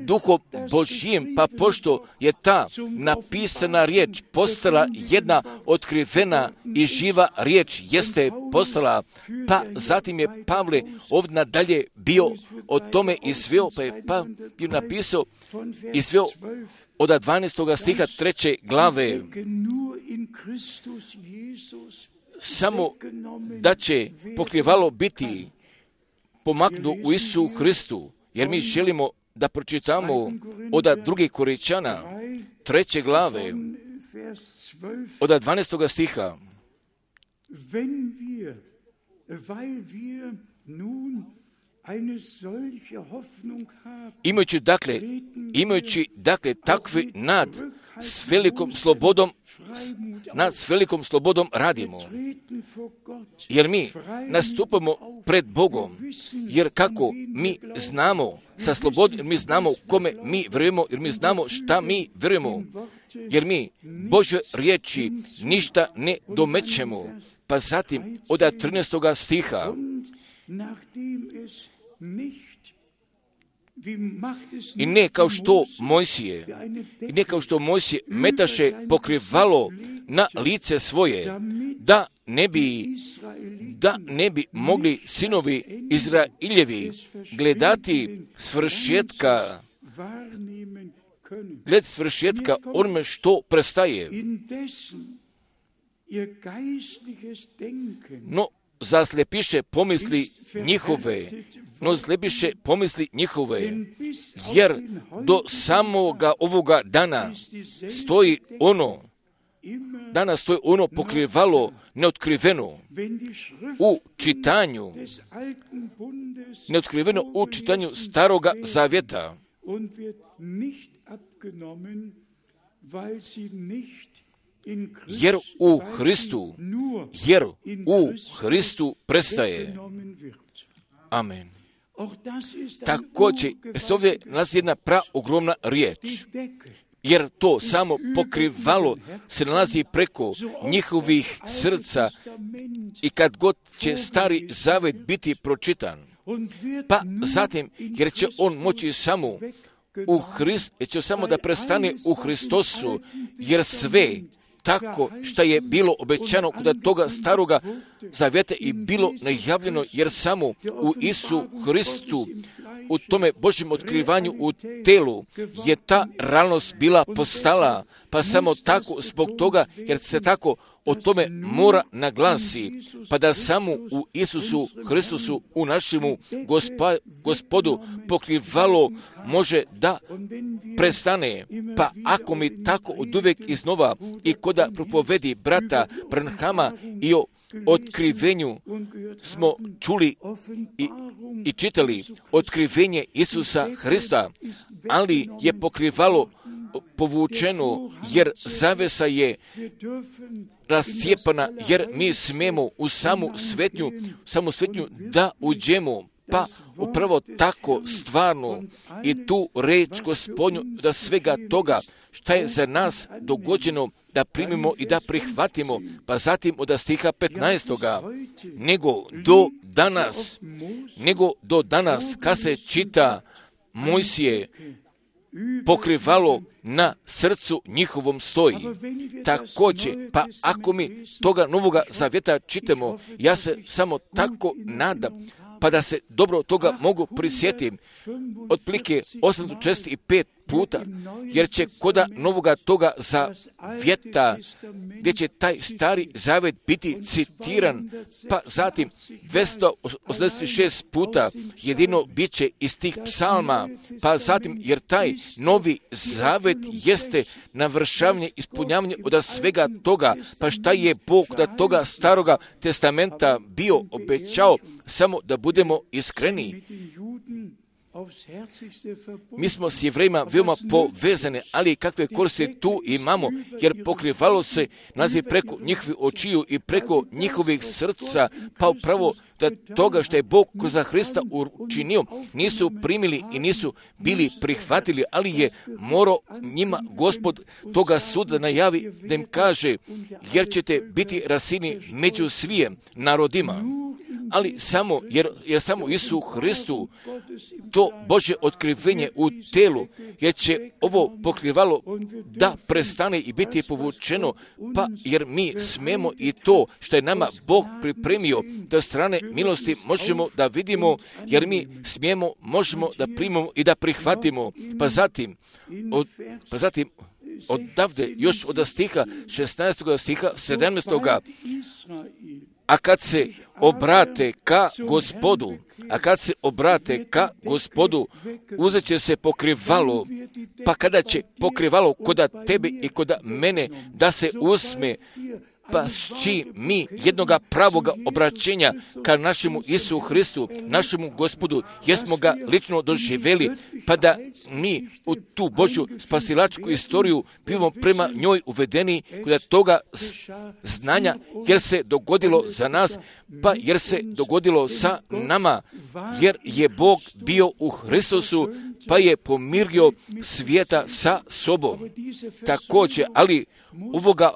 Duhom Božjim, pa pošto je ta napisana riječ postala jedna otkrivena i živa riječ, jeste postala, pa zatim je Pavle ovdje nadalje bio o tome izveo, pa je bio napisao, izveo od 12. stiha 3. glave, samo da će pokrivalo biti pomaknuto u Isusu Hristu, jer mi želimo da pročitamo od 2. Korinćana 3. glave, od 12. stiha. Imajući dakle takvi nad s velikom slobodom radimo, jer mi nastupamo pred Bogom, jer kako mi znamo sa slobodom, jer mi znamo kome mi vjerujemo, jer mi znamo šta mi vjerujemo, jer mi Božje riječi ništa ne domećemo. Pa zatim od 13. stiha, i ne kao što Mojsije metaše pokrivalo na lice svoje, da ne bi mogli sinovi Izrailjevi gledati svršetka onome što prestaje. No, zaslepiše pomisli njihove, jer do samoga ovoga dana stoji ono pokrivalo neotkriveno u čitanju Staroga Zavjeta. Jer u Hristu prestaje. Amen. Također se ovdje nalazi jedna ogromna riječ, jer to samo pokrivalo se nalazi preko njihovih srca i kad god će Stari Zavet biti pročitan, pa zatim jer će on moći samo da prestane u Hristosu, jer sve tako što je bilo obećano kod toga Staroga Zavjeta i bilo najavljeno, jer samo u Isusu Hristu, u tome Božjem otkrivanju u telu je ta realnost bila postala, pa samo tako zbog toga, jer se tako o tome mora naglasi, pa da samo u Isusu Hristusu, u našemu Gospodu pokrivalo može da prestane. Pa ako mi tako od uvijek iznova i koda propovedi brata Branhama i o otkrivenju smo čuli i čitali otkrivenje Isusa Hrista, ali je pokrivalo povučeno, jer zavesa je rascijepana, jer mi smemo u samu svetnju da uđemo. Pa upravo tako stvarno i tu reč Gospodnju da svega toga šta je za nas dogođeno da primimo i da prihvatimo, pa zatim od stiha 15. nego do danas kad se čita Mojsije pokrivalo na srcu njihovom stoji. Također, pa ako mi toga Novoga Zavjeta čitamo, ja se samo tako nadam, pa da se dobro toga mogu prisjetiti, otprilike 845 puta, jer će koda novoga toga zavjeta, gdje će taj stari zavjet biti citiran, pa zatim 286 puta jedino bit će iz tih psalma, pa zatim, jer taj novi zavjet jeste navršavanje, ispunjavanje od svega toga, pa šta je Bog da toga staroga testamenta bio obećao, samo da budemo iskreni. Mi smo s Jevrejima veoma povezane, ali kakve koristi tu imamo, jer pokrivalo se naziv preko njihovih očiju i preko njihovih srca, pa upravo da toga što je Bog kroz Hrista učinio, nisu primili i nisu bili prihvatili, ali je morao njima Gospod toga suda najavi da im kaže, jer ćete biti rasini među svijem narodima. Ali samo, jer samo Isu Hristu to Božje otkrivenje u telu, jer će ovo pokrivalo da prestane i biti povučeno, pa jer mi smemo i to što je nama Bog pripremio da strane milosti možemo da vidimo, jer mi smijemo, možemo da primimo i da prihvatimo. Pa zatim odavde još od stiha 16. stiha 17. A kad se obrate ka Gospodu, uzet će se pokrivalo, pa kada će pokrivalo koda tebe i koda mene da se usme, pa s čim mi jednoga pravoga obraćenja ka našemu Isu Hristu, našemu Gospodu, jesmo ga lično doživjeli, pa da mi u tu Božju spasilačku istoriju bivamo prema njoj uvedeni kod toga znanja, jer se dogodilo za nas, pa jer se dogodilo sa nama, jer je Bog bio u Hristosu, pa je pomirio svijeta sa sobom. Također, ali ovoga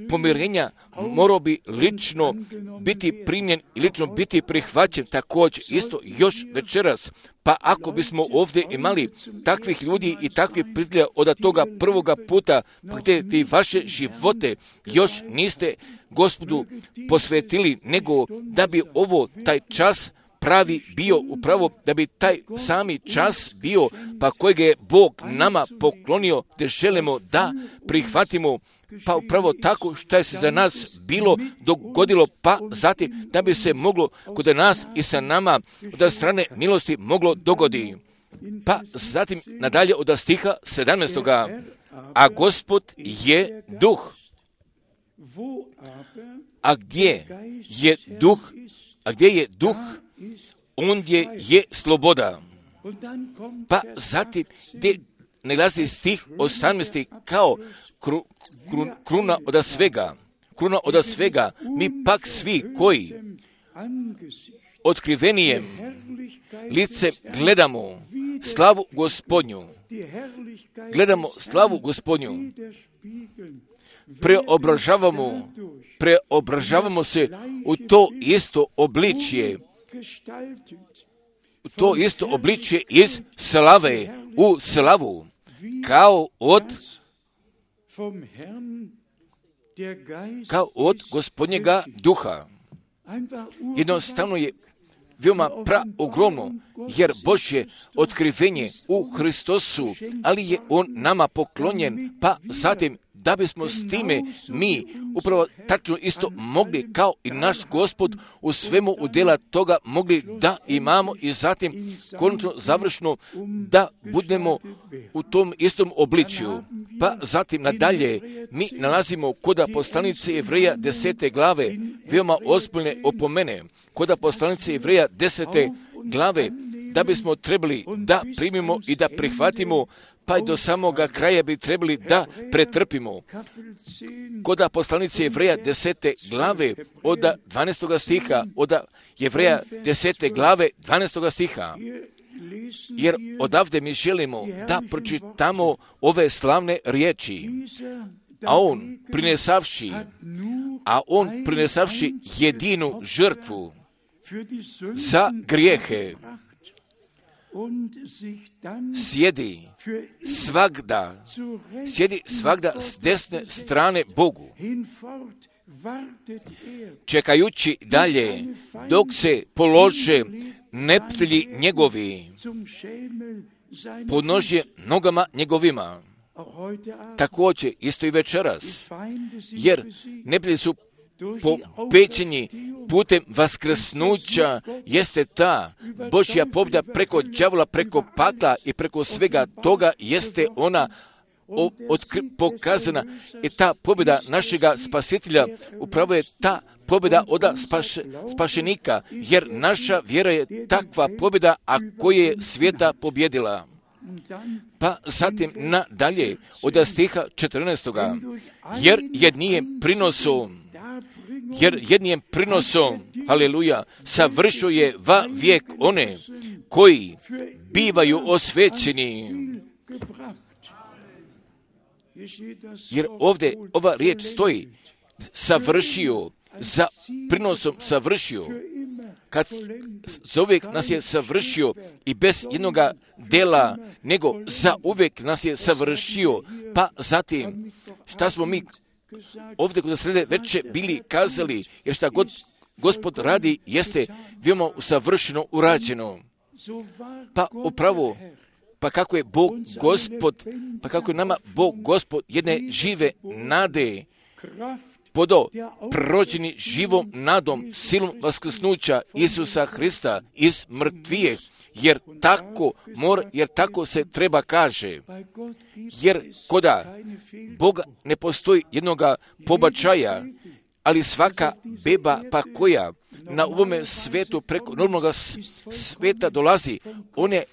pomirenja morao bi lično biti primljen i lično biti prihvaćen, također isto još večeras. Pa ako bismo ovdje imali takvih ljudi i takvih prijatelja od toga prvoga puta, pa gdje vi vaše živote još niste Gospodu posvetili, nego da bi taj čas pravi bio upravo, da bi taj sami čas bio, pa kojeg je Bog nama poklonio, te želimo da prihvatimo, pa upravo tako što je se za nas bilo dogodilo, pa zatim da bi se moglo kod nas i sa nama od strane milosti moglo dogoditi. Pa zatim nadalje od stiha 17. A Gospod je duh. A gdje je duh, ondje je sloboda. Pa zatim gdje nalazi stih 18. kao kruna od svega, mi pak svi koji otkrivenijem lice gledamo slavu Gospodnju, preobražavamo se u to isto obličje, iz slave u slavu, kao od Gospodnjega duha. Jednostavno je veoma ogromno, jer Božje otkrivenje u Hristosu, ali je On nama poklonjen, pa zatim da bismo s time mi upravo tačno isto mogli kao i naš Gospod u svemu udjela toga mogli da imamo i zatim konačno završno da budemo u tom istom obličju. Pa zatim nadalje mi nalazimo kod poslanice Jevreja 10. glave veoma ozbiljne opomene. Kod poslanice Jevreja 10. glave da bismo trebali da primimo i da prihvatimo, pa i do samoga kraja bi trebali da pretrpimo. Kod poslanice Jevreja 10. glave od 12. stiha, od Jevreja 10. glave 12. stiha, jer odavde mi želimo da pročitamo ove slavne riječi. A on prinesavši jedinu žrtvu za grijehe, sjedi svagda s desne strane Bogu, čekajući dalje dok se polože neprijatelji njegovi podnožje nogama njegovima. Također isto i večeras, jer neprijatelji su pobeđeni putem vaskrsnuća, jeste ta Božja pobjeda preko đavola, preko pakla i preko svega toga, jeste ona pokazana. I ta pobjeda našega spasitelja upravo je ta pobjeda od spašenika, jer naša vjera je takva pobjeda, a koja je svijeta pobjedila. Pa zatim nadalje od stiha 14. jer jednijem prinosom, haleluja, savršuje va vijek one koji bivaju osvećeni. Jer ovdje ova riječ stoji, savršio, za prinosom savršio. Kad za uvijek nas je savršio i bez jednoga dela, nego za uvijek nas je savršio. Pa zatim, šta smo mi ovdje kod srede veće bili kazali, jer šta god Gospod radi jeste veoma savršeno urađeno. Pa upravo, pa kako je Bog Gospod, pa kako je nama Bog Gospod jedne žive nade podo prođeni živom nadom, silom vaskrsnuća Isusa Hrista iz mrtvijeh, jer tako se treba kaže. Jer koda Boga ne postoji jednoga pobačaja, ali svaka beba pa koja na ovome svetu preko normalnog sveta dolazi, on je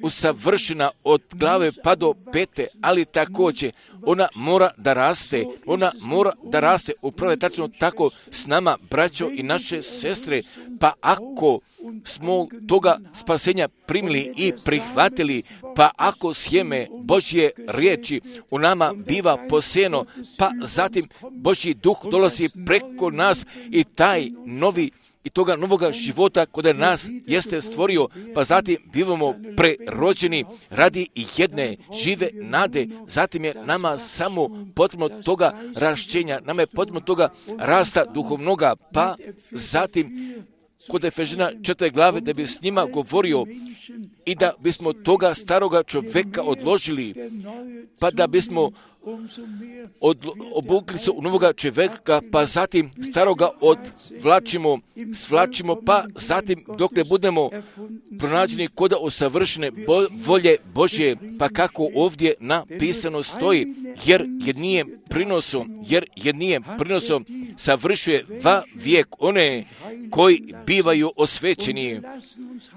usavršena od glave pa do pete, ali također ona mora da raste, upravo je tačno tako s nama, braćo i naše sestre. Pa ako smo toga spasenja primili i prihvatili, pa ako sjeme Božje riječi u nama biva posijeno, pa zatim Božji duh dolazi preko nas i taj novi i toga novoga života kod nas jeste stvorio, pa zatim bivamo prerođeni radi jedne žive nade. Zatim je nama samo potrebno toga rašćenja, nama je potrebno toga rasta duhovnoga, pa zatim kod Efežana 4. glave da bi s njima govorio i da bismo toga staroga čovjeka odložili, pa da bismo obukli se u novoga čovjeka, pa zatim staroga svlačimo, pa zatim dok ne budemo pronađeni koda usavršene volje Božje, pa kako ovdje napisano stoji, jer jednijem prinosom savršuje va vijek one koji bivaju osvećeni.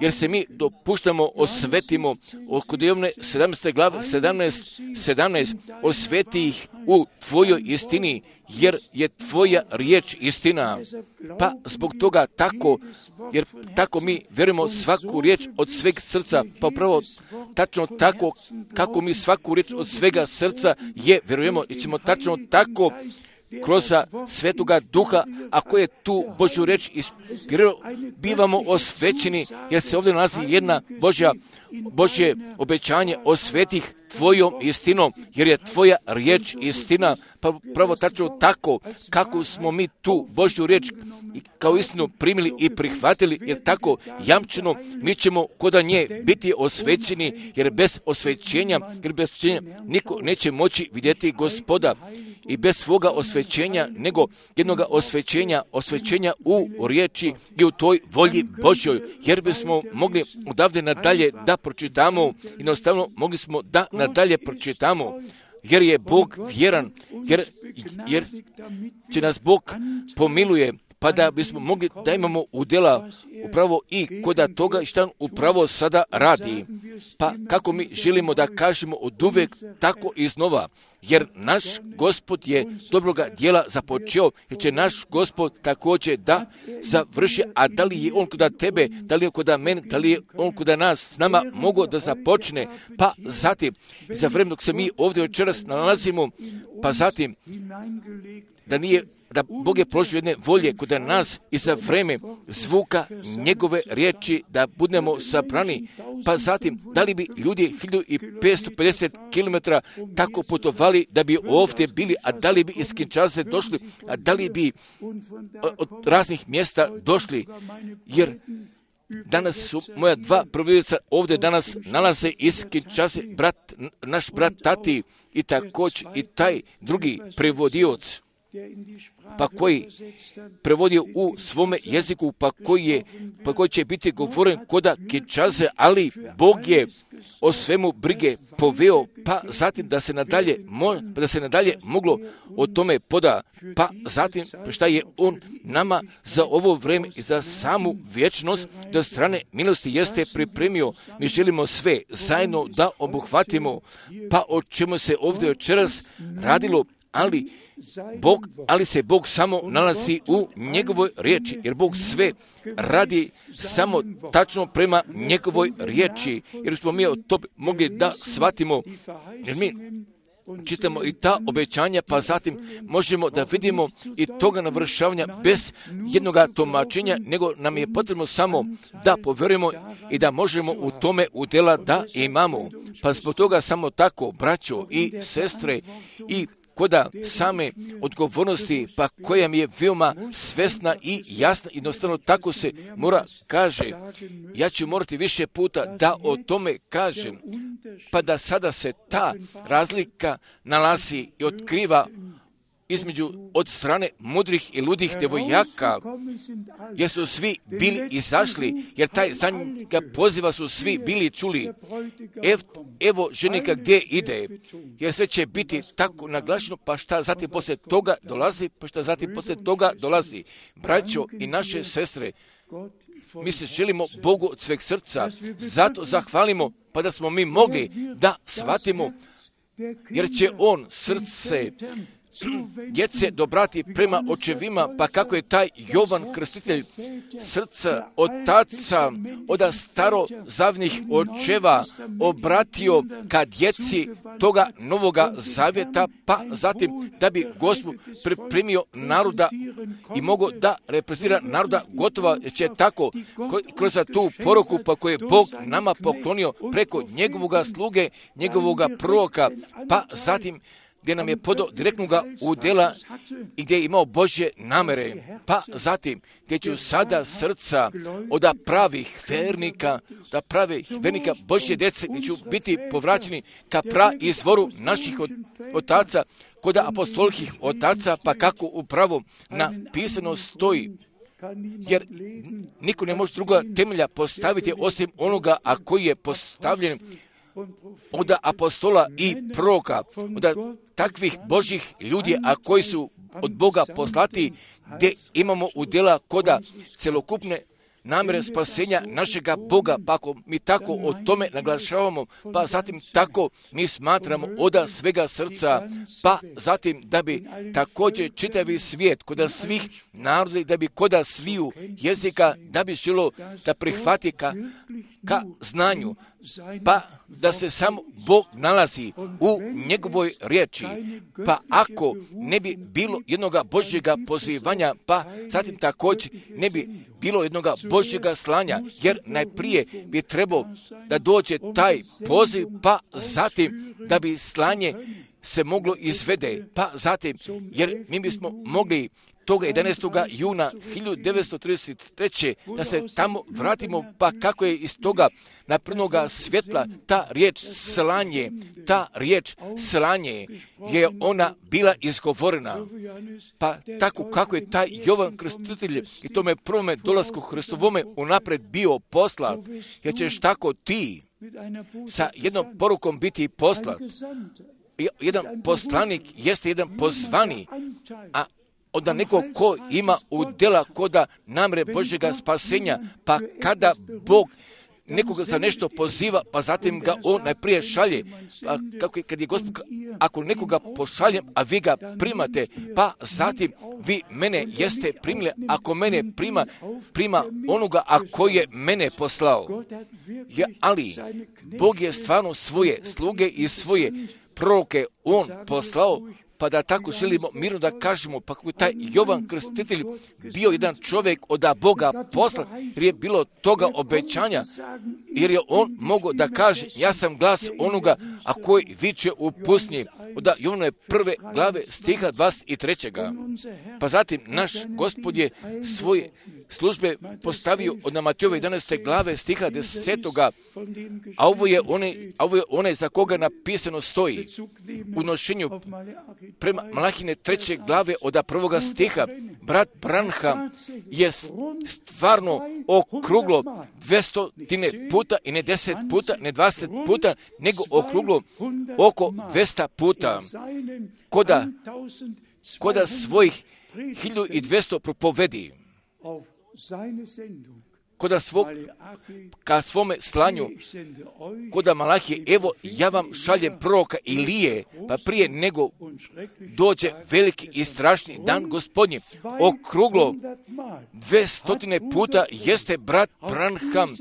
Jer se mi dopuštamo, osvetimo, kod Jovne 17. glave 17, osveti ih u tvojoj istini, jer je tvoja riječ istina. Pa zbog toga jer tako mi vjerujemo svaku riječ od sveg srca, pa upravo tačno tako kako mi svaku riječ od svega srca vjerujemo i ćemo tačno tako kroz Svetoga Duha, ako je tu Božju riječ bivamo osvećeni, jer se ovdje nalazi jedna Božje obećanje, osvetih tvojom istinom, jer je tvoja riječ istina. Pa pravo tačno tako kako smo mi tu Božju riječ kao istinu primili i prihvatili, jer tako jamčeno mi ćemo kod nje biti osvećeni, jer bez osvećenja niko neće moći vidjeti Gospoda. I bez svoga osvećenja, nego jednoga osvećenja u riječi i u toj volji Božjoj, jer bismo mogli odavde nadalje da pročitamo, jednostavno mogli smo da nadalje pročitamo, jer je Bog vjeran, jer će nas Bog pomiluje, pa da bismo mogli da imamo udjela upravo i kod toga što on upravo sada radi. Pa kako mi želimo da kažemo od uvijek tako iznova, jer naš Gospod je dobroga djela započeo, jer će naš Gospod također da završi, a da li je on kod tebe, da li je kod mene, da li je on kod nas s nama mogao da započne, pa zatim za vrijeme dok se mi ovdje večeras nalazimo, pa zatim da Bog je položio jedne volje kod nas i za vrijeme zvuka njegove riječi da budemo sabrani, pa zatim da li bi ljudi 1550 km tako putovali da bi ovdje bili, a da li bi iz Kinshase došli, a da li bi od raznih mjesta došli, jer danas su moja dva provodioca ovdje danas nalaze iz Kinshase, naš brat Tati i također i taj drugi prevodioc, pa koji prevodio u svome jeziku, pa koji će biti govoren koda Kinshase, ali Bog je o svemu brige poveo, pa zatim da se nadalje moglo o tome poda, pa zatim šta je on nama za ovo vrijeme i za samu vječnost do strane milosti jeste pripremio. Mi želimo sve zajedno da obuhvatimo, pa o čemu se ovdje večeras radilo, ali se Bog samo nalazi u njegovoj riječi, jer Bog sve radi samo tačno prema njegovoj riječi, jer smo mi to mogli da shvatimo, jer mi čitamo i ta obećanja, pa zatim možemo da vidimo i toga navršavanja bez jednoga tumačenja, nego nam je potrebno samo da povjerujemo i da možemo u tome udjela da imamo. Pa zbog toga samo tako, braćo i sestre, i koda same odgovornosti, pa koja mi je veoma svesna i jasna, jednostavno tako se mora kaže. Ja ću morati više puta da o tome kažem, pa da sada se ta razlika nalazi i otkriva između od strane mudrih i ludih devojaka, jer su svi bili izašli, jer taj zadnjega poziva su svi bili čuli. Evo ženika gdje ide, jer sve će biti tako naglašeno, pa šta zatim poslije toga dolazi. Braćo i naše sestre, mi se želimo Bogu od sveg srca, zato zahvalimo, pa da smo mi mogli da shvatimo, jer će on srce djece dobrati prema očevima, pa kako je taj Jovan Krstitelj srca otaca od starozavnih očeva obratio ka djeci toga novoga zavjeta, pa zatim da bi Gospod pripremio naroda i mogao da reprezentira naroda, gotovo će tako kroz tu poruku pa koju je Bog nama poklonio preko njegovoga sluge, njegovoga proroka, pa zatim gdje nam je podao direktnoga udjela i gdje je imao Božje namere, pa zatim gdje ću sada srca od pravih vernika Božje djece, gdje ću biti povraćeni ka izvoru naših otaca, kod apostolskih otaca, pa kako upravo napisano stoji. Jer niko ne može druga temelja postaviti osim onoga, a koji je postavljen od apostola i proroka, od takvih Božjih ljudi, a koji su od Boga poslati, gdje imamo udjela koda celokupne namjere spasenja našega Boga, pa ako mi tako o tome naglašavamo, pa zatim tako mi smatramo oda svega srca, pa zatim da bi također čitavi svijet, koda svih naroda, da bi koda sviju jezika, da bi želo da prihvati ka znanju, pa da se samo Bog nalazi u njegovoj riječi, pa ako ne bi bilo jednoga Božjega pozivanja, pa zatim također ne bi bilo jednoga Božjega slanja, jer najprije bi trebao da dođe taj poziv, pa zatim da bi slanje se moglo izvede, pa zatim, jer mi bismo mogli toga 11. juna 1933. da se tamo vratimo, pa kako je iz toga naprednoga svjetla ta riječ slanje je ona bila izgovorena. Pa tako kako je taj Jovan Krstitelj i tome prvome dolasku Hristovome unapred bio poslat, jer ćeš tako ti sa jednom porukom biti poslat. Jedan poslanik jeste jedan pozvani, a od nekog ko ima udjela koda namre Božjega spasenja, pa kada Bog nekoga za nešto poziva, pa zatim ga on najprije šalje. Pa kako kad je Gospod, ako nekoga pošaljem, a vi ga primate, pa zatim vi mene jeste primili, ako mene prima onoga, a koji je mene poslao. Ali Bog je stvarno svoje sluge i svoje proroke on poslao, pa da tako želimo mirno da kažemo, pa kako je taj Jovan Krstitelj bio jedan čovjek od Boga posla, jer je bilo toga obećanja, jer je on mogao da kaže, ja sam glas onoga, a koji viče u pustinji, od Jovanove 1. glave stiha 23. Pa zatim naš Gospod je svoje službe postavio od Matejove 11. glave stiha 10. A ovo je onaj za koga napisano stoji u nošenju prema Malahine 3. glave od 1. stiha. Brat Branham je stvarno okruglo 200 puta i ne 10 puta, ne 20 puta, nego okruglo oko 200 puta koda svojih 1200 propovedi. Ka svome slanju, koda Malahije, evo ja vam šaljem proroka Ilije, pa prije nego dođe veliki i strašni dan Gospodnji. Okruglo 200 puta jeste brat Branham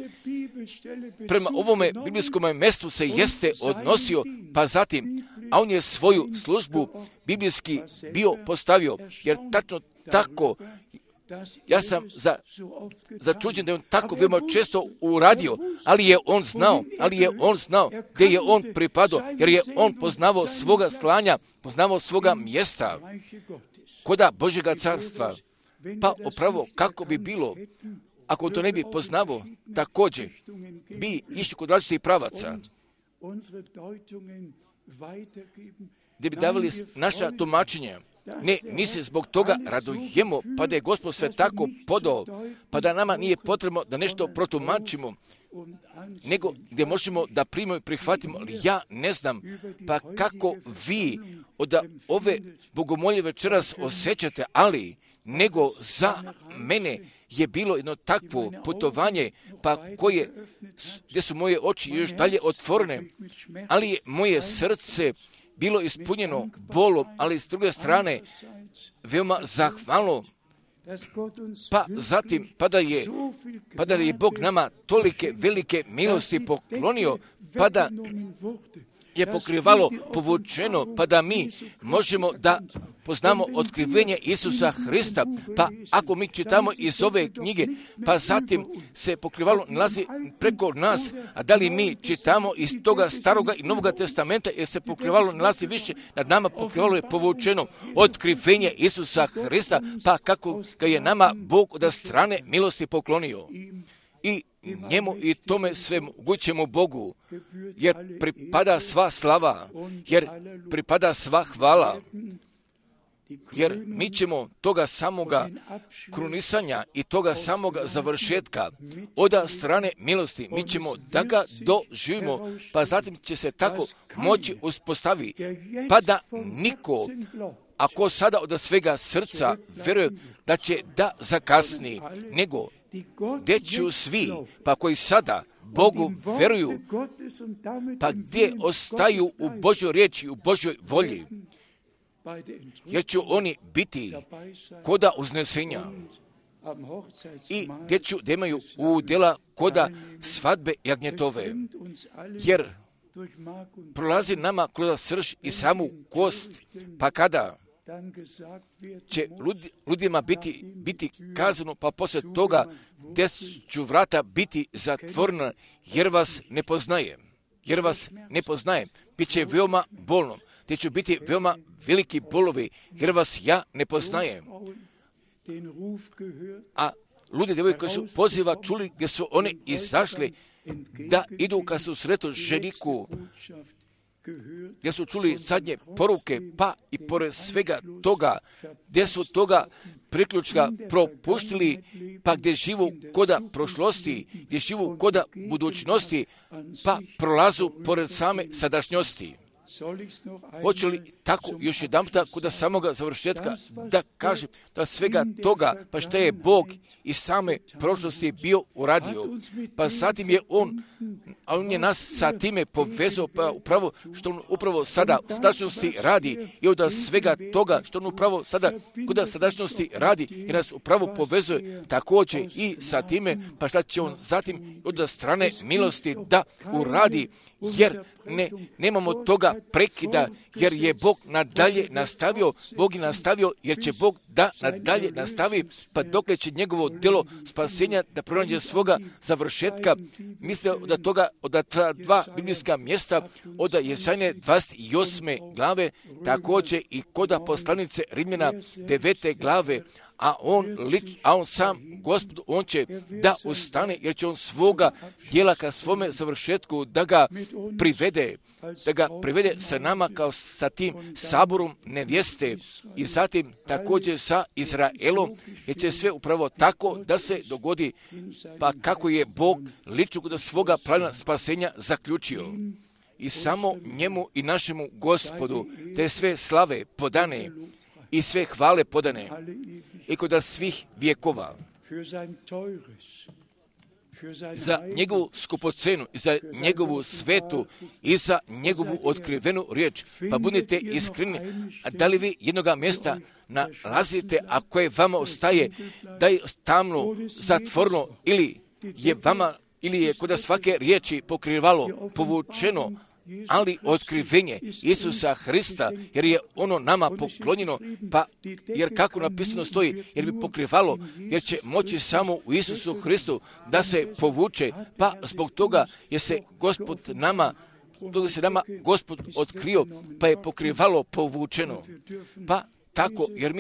prema ovome biblijskom mjestu se jeste odnosio, pa zatim, a on je svoju službu biblijski bio postavio, jer tačno tako, ja sam začuđen da je on tako veoma često uradio, ali je on znao gdje je on pripadao, jer je on poznavao svoga slanja, poznavao svoga mjesta koda Božjega carstva. Pa upravo kako bi bilo, ako on to ne bi poznavao, također bi išli kod različitih pravaca, gdje bi davali naša tumačenja. Ne, mi se zbog toga radujemo, pa da je Gospod sve tako podao, pa da nama nije potrebno da nešto protumačimo, nego gdje možemo da primimo i prihvatimo, ali ja ne znam, pa kako vi od ove bogomolje večeras osjećate, ali nego za mene je bilo jedno takvo putovanje, pa gdje su moje oči još dalje otvorene, ali je moje srce bilo ispunjeno bolom, ali s druge strane veoma zahvalno. Pa zatim, pa da je Bog nama tolike velike milosti poklonio, pa da je pokrivalo povučeno, pa da mi možemo da poznamo otkrivenje Isusa Hrista. Pa ako mi čitamo iz ove knjige, pa zatim se pokrivalo nalazi preko nas, a da li mi čitamo iz toga Staroga i Novoga testamenta, jer se pokrivalo nalazi više nad nama, pokrivalo je povučeno otkrivenje Isusa Hrista, pa kako ga je nama Bog od strane milosti poklonio. I njemu i tome svemogućemu Bogu, jer pripada sva slava, jer pripada sva hvala, jer mi ćemo toga samoga krunisanja i toga samoga završetka od strane milosti, mi ćemo da ga doživimo, pa zatim će se tako moći uspostaviti, pa da niko, ako sada od svega srca vjeruje da će da zakasni, nego gdje ću svi, pa koji sada Bogu vjeruju, pa gdje ostaju u Božjoj riječi, u Božjoj volji, jer će oni biti koda uznesenja i gdje ću da imaju udjela koda svadbe jagnjetove, jer prolazi nama kroz srž i samu kost, pa kada će ljudima biti kazano, pa poslije toga gdje ću vrata biti zatvorena, jer vas ne poznajem. Biće veoma bolno, gdje će biti veoma veliki bolovi, jer vas ja ne poznajem. A ljudi djevojke koji su poziva čuli, gdje su oni izašli da idu ka susretu ženiku, gdje su čuli zadnje poruke, pa i pored svega toga, gdje su toga priključka propuštili, pa gdje živu koda prošlosti, gdje živu koda budućnosti, pa prolazu pored same sadašnjosti. Hoće li tako još jedan puta kod samoga završetka da kažem da svega toga, pa što je Bog iz same prošlosti bio uradio, pa zatim je On je nas sa time povezao, pa upravo što On upravo sada u sadašnjosti radi i od svega toga što On upravo sada kod sadašnjosti radi i nas upravo povezuje također i sa time, pa šta će On zatim od strane milosti da uradi, jer nemamo toga prekida, jer je Bog nadalje nastavio, Bog je nastavio, jer će Bog da nadalje nastavi, pa dokle će njegovo djelo spasenja da pronađe svoga završetka. Misle od toga, od ta dva biblijska mjesta, od Jesaje 28. glave, također i koda poslanice Rimljana 9. glave, a on sam, Gospod, on će da ustane, jer će on svoga djela ka svome završetku da ga privede sa nama kao sa tim saborom nevjeste i zatim također sa Izraelom, jer će sve upravo tako da se dogodi, pa kako je Bog lično kod svoga plana spasenja zaključio. I samo njemu i našemu Gospodu te sve slave podane i sve hvale podane i kod svih vjekova. Za njegovu skupocenu i za njegovu svetu i za njegovu otkrivenu riječ. Pa budite iskreni, da li vi jednoga mjesta nalazite, a koje vama ostaje da je tamno, zatvorno ili je kod svake riječi pokrivalo, povučeno, ali otkrivenje Isusa Hrista, jer je ono nama poklonjeno, pa jer kako napisano stoji, jer bi pokrivalo, jer će moći samo u Isusu Hristu da se povuče, pa zbog toga je se Gospod otkrio, pa je pokrivalo povučeno. Pa tako, jer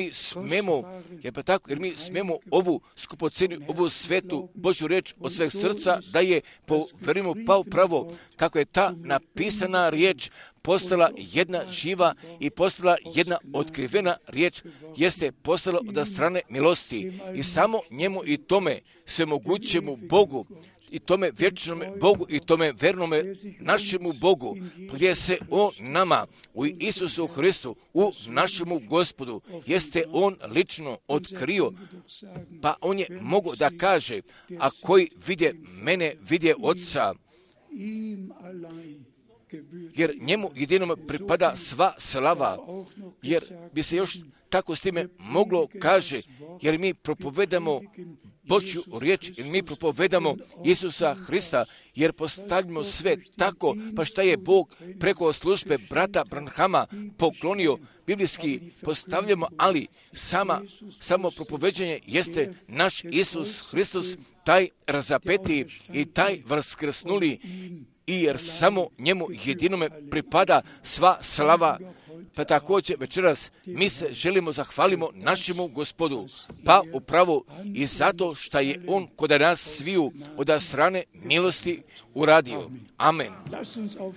mi smemo ovu skupocenu, ovu svetu Božju riječ od sveg srca da je poverimo pa upravo kako je ta napisana riječ postala jedna živa i postala jedna otkrivena riječ, jeste postala od strane milosti i samo njemu i tome svemogućemu Bogu i tome vječnome Bogu i tome vernome našemu Bogu, gdje se On nama u Isusu Hristu, u našemu Gospodu, jeste On lično otkrio, pa On je mogao da kaže, a koji vidje mene, vidje Otca, jer njemu jedinom pripada sva slava, jer bi se još tako s time moglo kaže, jer mi propovedamo Božju riječ, jer mi propovedamo Isusa Hrista, jer postavljamo sve tako, pa šta je Bog preko službe brata Branhama poklonio, biblijski postavljamo, ali samo propoveđenje jeste naš Isus Hristos, taj razapeti i taj vaskrsnuli, i jer samo njemu jedinome pripada sva slava. Pa također večeras mi se želimo zahvalimo našemu Gospodu, pa upravo i zato što je On kod nas sviju od strane milosti uradio. Amen.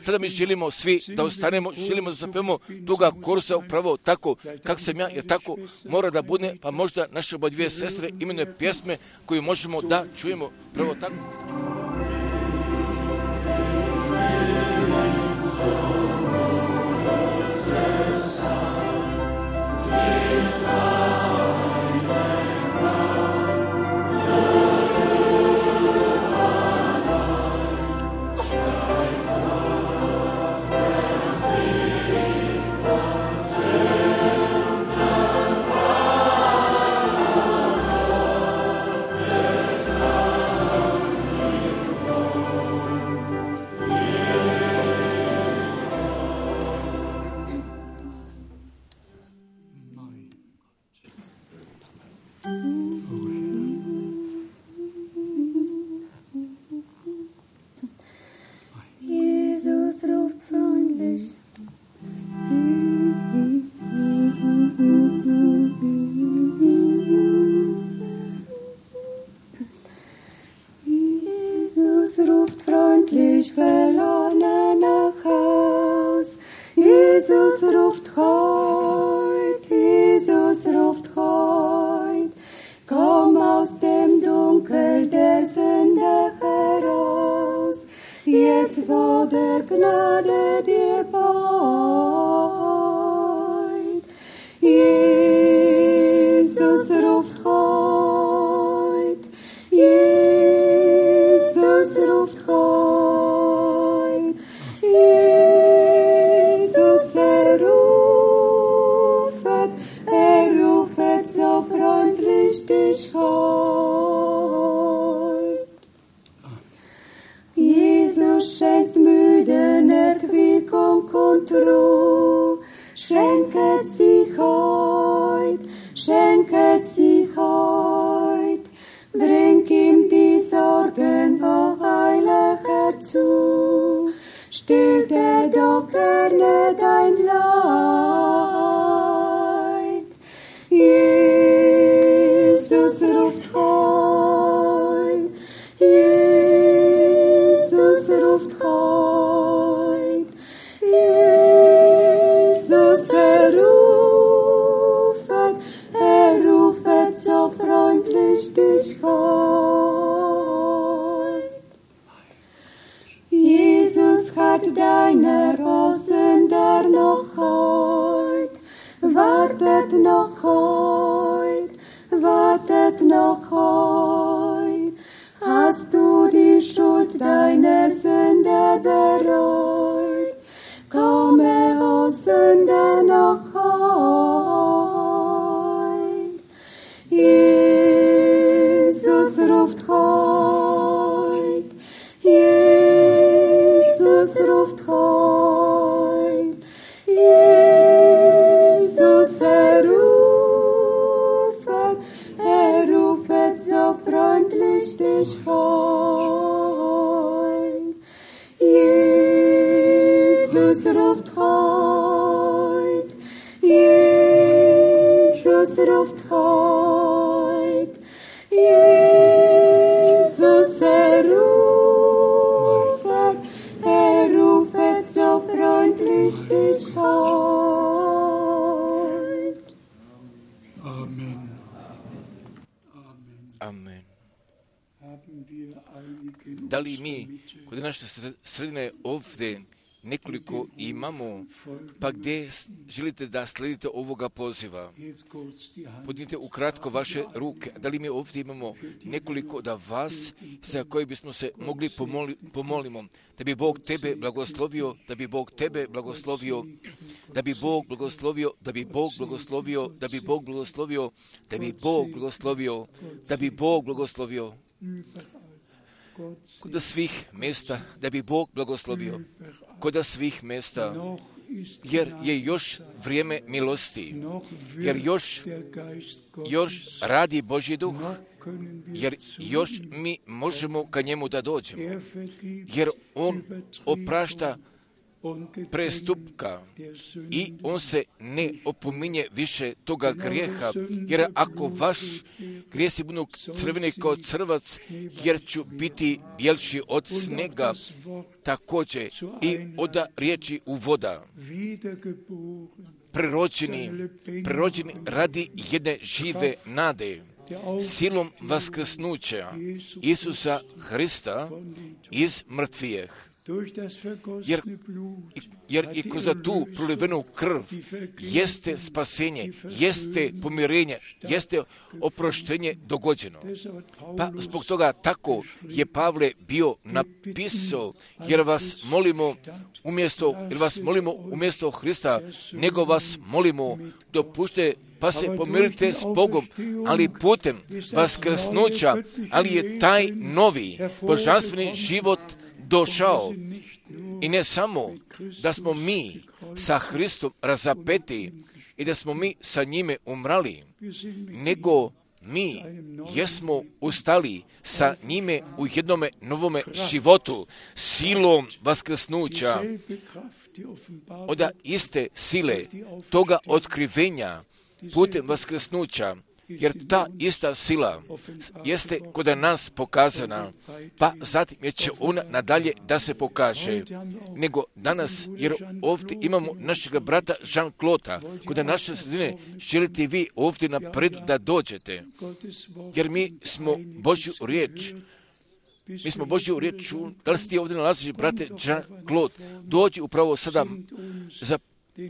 Sada mi želimo svi da ostanemo, želimo da zapevamo toga korusa upravo tako kako sam ja, jer tako mora da bude, pa možda naše oba dvije sestre imenuje pjesme koju možemo da čujemo prvo tako. Jetzt, wo der Gnade dir baut. ruft heut. Jesus, rufet so freundlich dich heut. Jesus schenkt müden Erquickung und Ruhe, schenket sich heut, bring ihm die Sorgen wo heilig herzu, stillt doch gerne dein Leid. Jesus ruft heut, Jesus ruft heut, Jesus rufet so freundlich dich heut. Jesus hat deine Rosen der noch heut, wartet noch heut. Hast du die Schuld deiner Sünde bereut, komme, o Sünder, noch heut. Jesus ruft heut, Jesus ruft heut, Jesus rufet so freundlich dich heut. Jesus ruft heut, Jesus ruft heut, Jesus rufet so freundlich dich heut. Amen. Amen. Da li mi kod naše sredine ovdje nekoliko imamo, pa gdje želite da sledite ovoga poziva? Podnite ukratko vaše ruke. Da li mi ovdje imamo nekoliko da vas, za koje bismo se mogli pomolimo, da bi Bog tebe blagoslovio, da bi Bog tebe blagoslovio, da bi Bog blagoslovio, da bi Bog blagoslovio, da bi Bog blagoslovio, da bi Bog blagoslovio, da bi Bog blagoslovio. Kod svih mjesta, da bi Bog blagoslovio, kod svih mjesta, jer je još vrijeme milosti, jer još radi Božji duh, jer još mi možemo ka njemu da dođemo, jer on oprašta prestupka i on se ne opominje više toga grijeha, jer ako vaš grijesi budu crveni kao crvac, jer ću biti bjelši od snega, također i od riječi u voda. Prerođeni radi jedne žive nade, silom vaskrsnuća Isusa Hrista iz mrtvijeh. Jer i kroz tu prolivenu krv jeste spasenje, jeste pomirenje, jeste oproštenje dogođeno. Pa zbog toga tako je Pavle bio napisao, jer vas molimo umjesto Hrista, nego vas molimo dopušte pa se pomirite s Bogom, ali putem vaskrsnuća, ali je taj novi božanstveni život došao. I ne samo da smo mi sa Hristom razapeti i da smo mi sa njime umrali, nego mi jesmo ustali sa njime u jednome novome životu, silom vaskrsnuća, od iste sile, toga otkrivenja putem vaskrsnuća, jer ta ista sila jeste kod nas pokazana, pa zatim će ona nadalje da se pokaže. Nego danas, jer ovdje imamo našeg brata Jean-Claude, kod naše sredine želite vi ovdje napred da dođete, jer mi smo Božju riječ, da li si ti ovdje nalaziš, brate Jean-Claude, dođi upravo sada,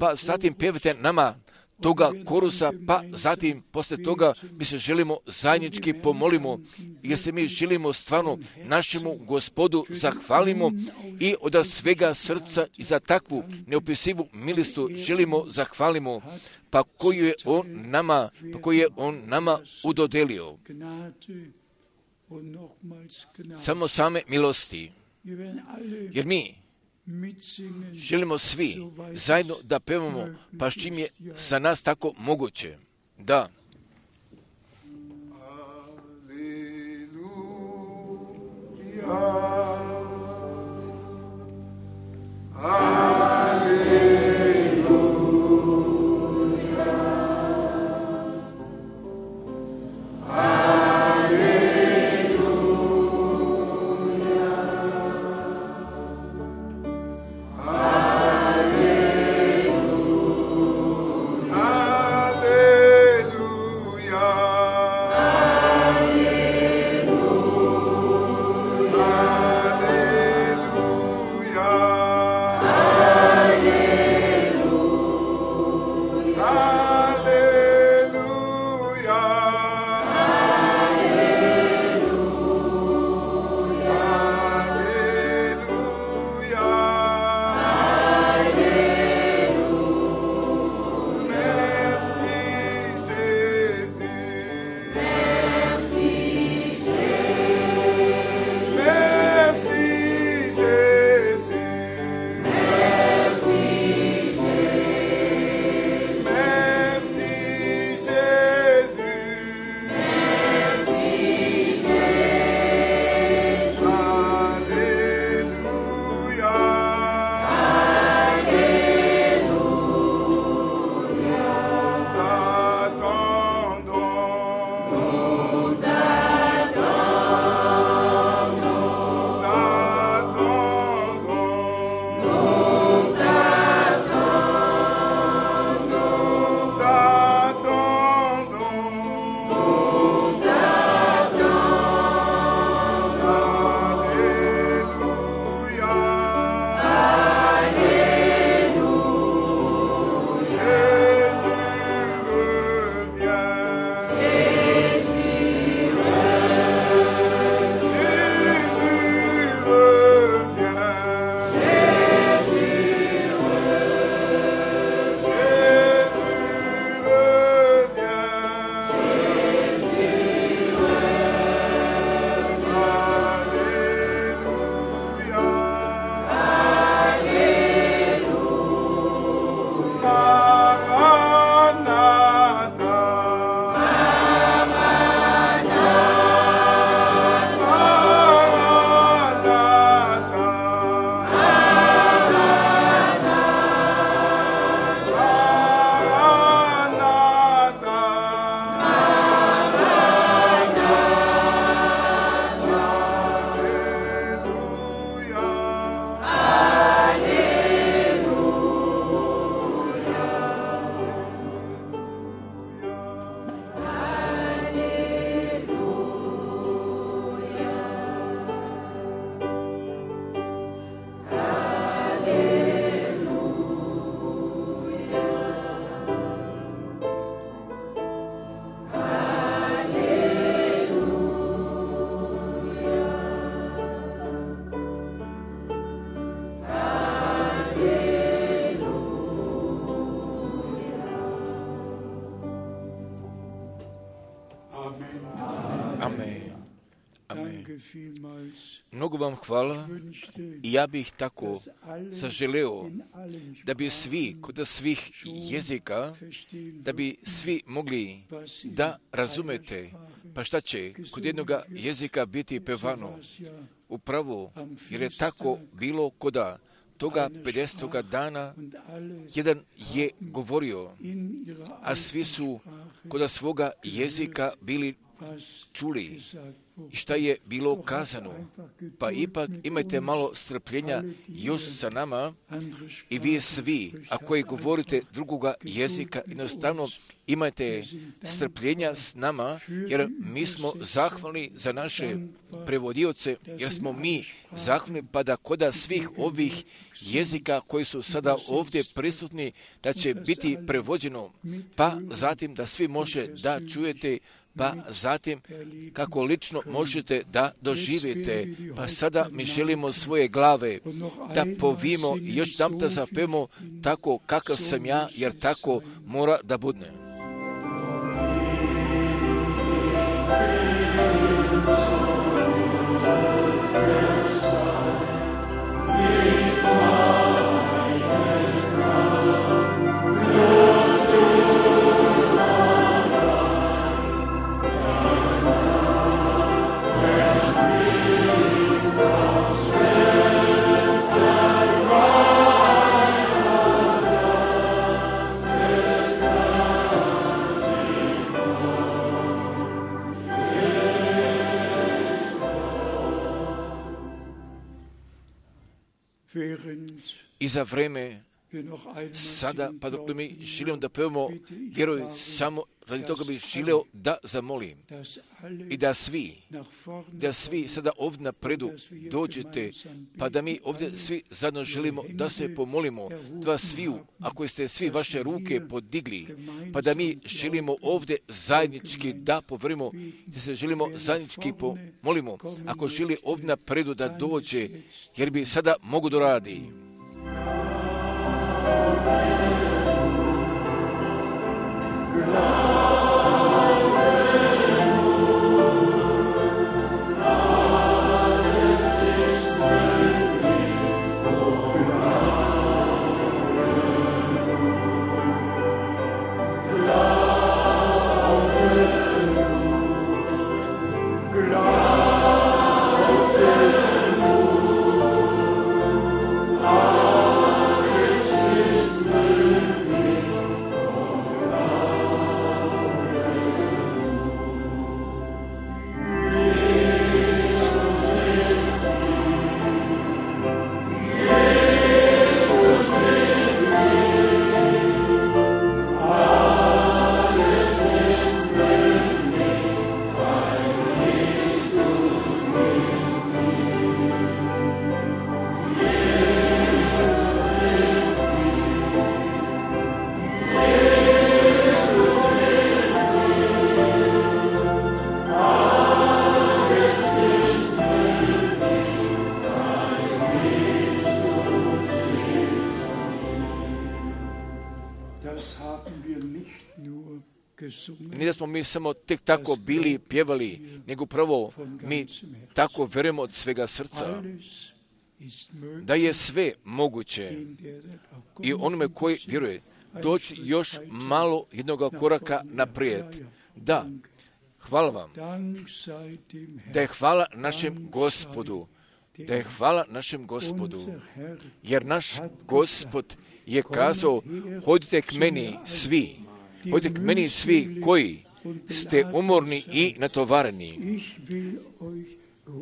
pa zatim pjevite nama toga korusa, pa zatim poslije toga mi se želimo zajednički pomolimo, jer se mi želimo stvarno našemu Gospodu zahvalimo i od svega srca i za takvu neopisivu milostu želimo zahvalimo, pa koju je on nama udodelio. Samo same milosti, jer mi želimo svi zajedno da pevamo, pa s čim je za nas tako moguće. Da. Mnogo vam hvala i ja bih tako zaželeo da bi svi, kod svih jezika, da bi svi mogli da razumete, pa šta će kod jednog jezika biti pevano upravo, jer je tako bilo koda toga 50. dana, jedan je govorio, a svi su kod svoga jezika bili čuli, šta je bilo kazano. Pa ipak imajte malo strpljenja još sa nama i vi svi, a koji govorite drugoga jezika, jednostavno imajte strpljenja s nama, jer mi smo zahvalni za naše prevodioce, jer smo mi zahvalni pa da koda svih ovih jezika koji su sada ovdje prisutni, da će biti prevođeno, pa zatim da svi može da čujete, pa zatim kako lično možete da doživite. Pa sada mi želimo svoje glave da povimo i još dam da zapevamo tako kakav sam ja, jer tako mora da bude. I za vreme sada, pa dok mi želimo da pevamo, vjeruj samo radi toga bih želeo da zamolim i da svi sada ovdje napredu dođete, pa da mi ovdje svi zajedno želimo da se pomolimo, da sviju, ako ste svi vaše ruke podigli, pa da mi želimo ovdje zajednički da povrimo, da se želimo zajednički pomolimo, ako želi ovdje napredu da dođe, jer bi sada mogu da radi. Nije da smo mi samo tek tako bili pjevali, nego prvo mi tako vjerujemo od svega srca da je sve moguće i onome koji vjeruje doći još malo jednog koraka naprijed. Da, hvala vam, da je hvala našem Gospodu, da je hvala našem Gospodu, jer naš Gospod je kazao, hodite k meni svi, hodite k meni svi koji ste umorni i natovareni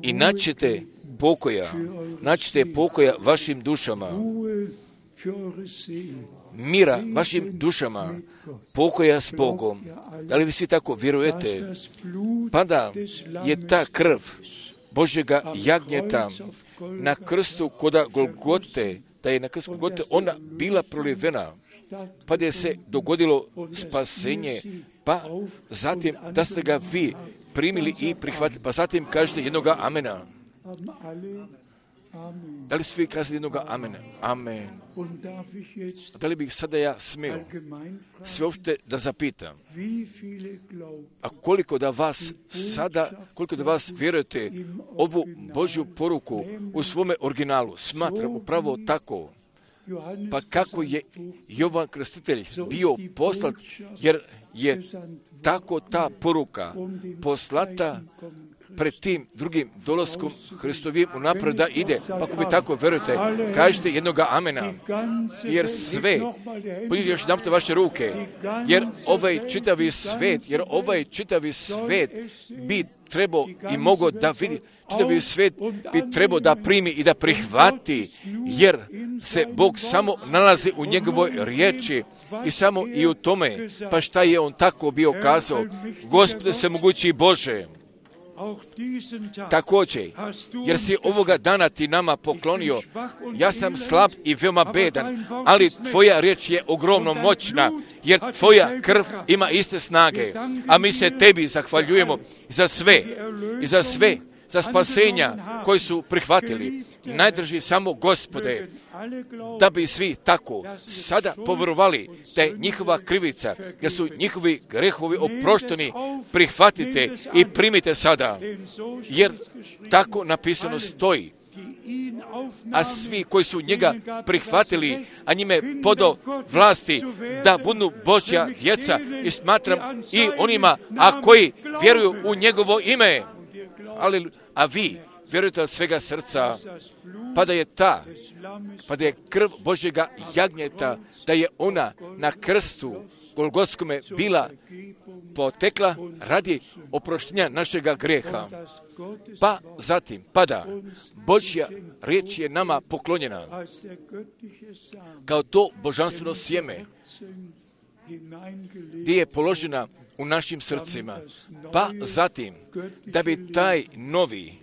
i naćete pokoja vašim dušama, mira vašim dušama, pokoja s Bogom. Da li vi svi tako vjerujete? Pa da je ta krv Božjega jagnjeta na krstu koda Golgote, da je na krstu Golgote ona bila prolivena, pa da je se dogodilo spasenje, pa zatim da ste ga vi primili i prihvatili, pa zatim kažete jednoga amena. Da li svi kazali jednoga amena? Amen. Da li bih sada ja smio sve uopšte da zapitam, a koliko da vas vjerujete ovu Božju poruku u svome originalu, smatram upravo tako, pa kako je Jovan Krstitelj bio poslat, jer je tako ta poruka poslata pred tim drugim dolaskom Hristovim unaprijed da ide. Pa ako vi tako verujete, kažete jednoga amena. Jer sve, podižite još jedanput vaše ruke, jer ovaj čitavi svet bi trebao i mogao da vidi, čitavi svet bi trebao da primi i da prihvati, jer se Bog samo nalazi u njegovoj riječi i samo i u tome. Pa šta je on tako bio kazao? Gospode svemogući Bože, također, jer si ovoga dana ti nama poklonio, ja sam slab i veoma bedan, ali tvoja riječ je ogromno moćna, jer tvoja krv ima iste snage, a mi se tebi zahvaljujemo za sve, za spasenja koji su prihvatili. Najdrži samo Gospode, da bi svi tako sada povjerovali da je njihova krivica, da su njihovi grehovi oprošteni, prihvatite i primite sada, jer tako napisano stoji. A svi koji su njega prihvatili, a njime podo vlasti da budu Božja djeca, i smatram i onima, a koji vjeruju u njegovo ime. A vi vjerujete od svega srca, pa da je krv Božjega jagnjeta, da je ona na krstu Golgotskome bila potekla radi oproštenja našega greha. Pa zatim, da Božja riječ je nama poklonjena kao to božanstveno sjeme, gdje je položena u našim srcima. Pa zatim, da bi taj novi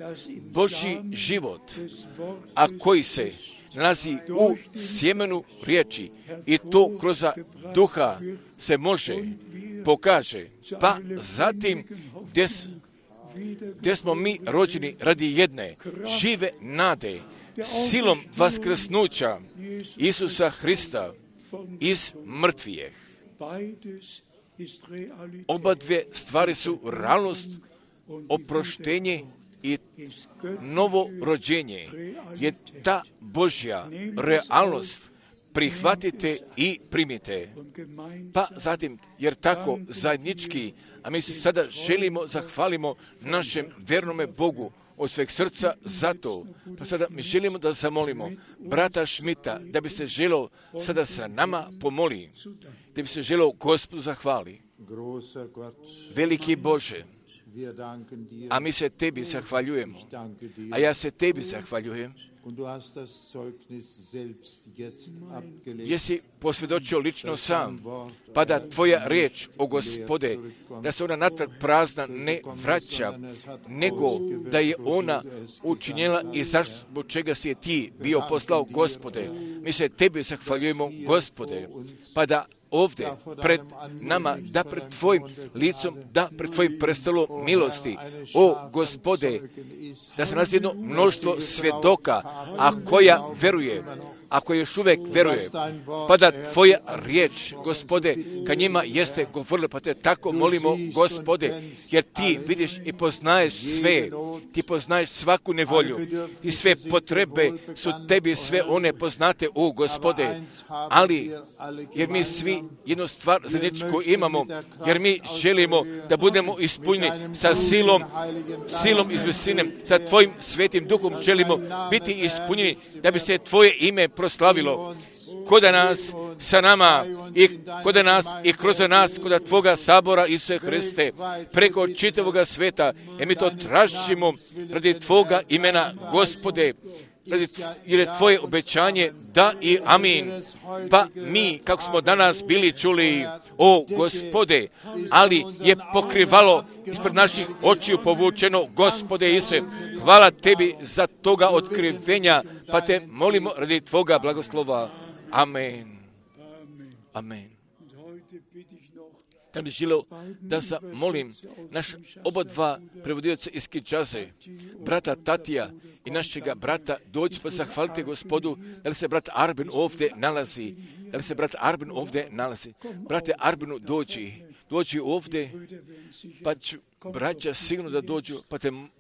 Božji život, a koji se nalazi u sjemenu riječi, i to kroz duha se može, pokaže. Pa zatim, gdje smo mi rođeni radi jedne žive nade, silom vaskrsnuća Isusa Hrista iz mrtvijeh. Oba dvije stvari su realnost, oproštenje i novo rođenje. Je ta Božja realnost, prihvatite i primite. Pa zatim, jer tako zajednički, a mi se sada želimo zahvalimo našem vernome Bogu od sveg srca za to. Pa sada mi želimo da zamolimo brata Šmita da bi se želio sada sa nama pomoli, da bi se želio Gospodu zahvali. Veliki Bože, a mi se tebi zahvaljujemo, a ja se tebi zahvaljujem, jesi posvjedočio lično sam, pa da tvoja riječ, o Gospode, da se ona natrag prazna ne vraća, nego da je ona učinjela i zašto, zbog čega si je ti bio poslao, Gospode. Mi se tebi zahvaljujemo, Gospode, pa da ovdje pred nama, da pred tvojim licom, da pred tvojim prestolom milosti, o Gospode, da se nalazi jedno mnoštvo svjedoka, a koja veruje, ako još uvijek veruje, pa da tvoja riječ, Gospode, ka njima jeste govorila, pa te tako molimo, Gospode, jer ti vidiš i poznaješ sve, ti poznaješ svaku nevolju i sve potrebe su tebi sve one poznate, o Gospode, ali jer mi svi jednu stvar zajedničku imamo, jer mi želimo da budemo ispunjeni sa silom iz visine, sa tvojim svetim duhom želimo biti ispunjeni, da bi se tvoje ime proslavilo kod nas, sa nama i kod nas i kroz nas, kod tvoga sabora Isuse Hriste, preko čitavoga sveta, jer mi to tražimo radi tvoga imena, Gospode, jer je tvoje obećanje da i amin. Pa mi, kako smo danas bili čuli, o Gospode, ali je pokrivalo ispred naših očiju povučeno, Gospode Isuse, hvala tebi za toga otkrivenja, pa te molimo radi tvoga blagoslova. Amen. Amen. Da bi želio da zamolim naš oba dva prevodioca iz Kinshase, brata Tatija i našega brata, dođi pa zahvalite Gospodu, da li se brat Arbin ovdje nalazi, Brate Arbinu, dođi ovdje, pa ću braća sigurno da dođu,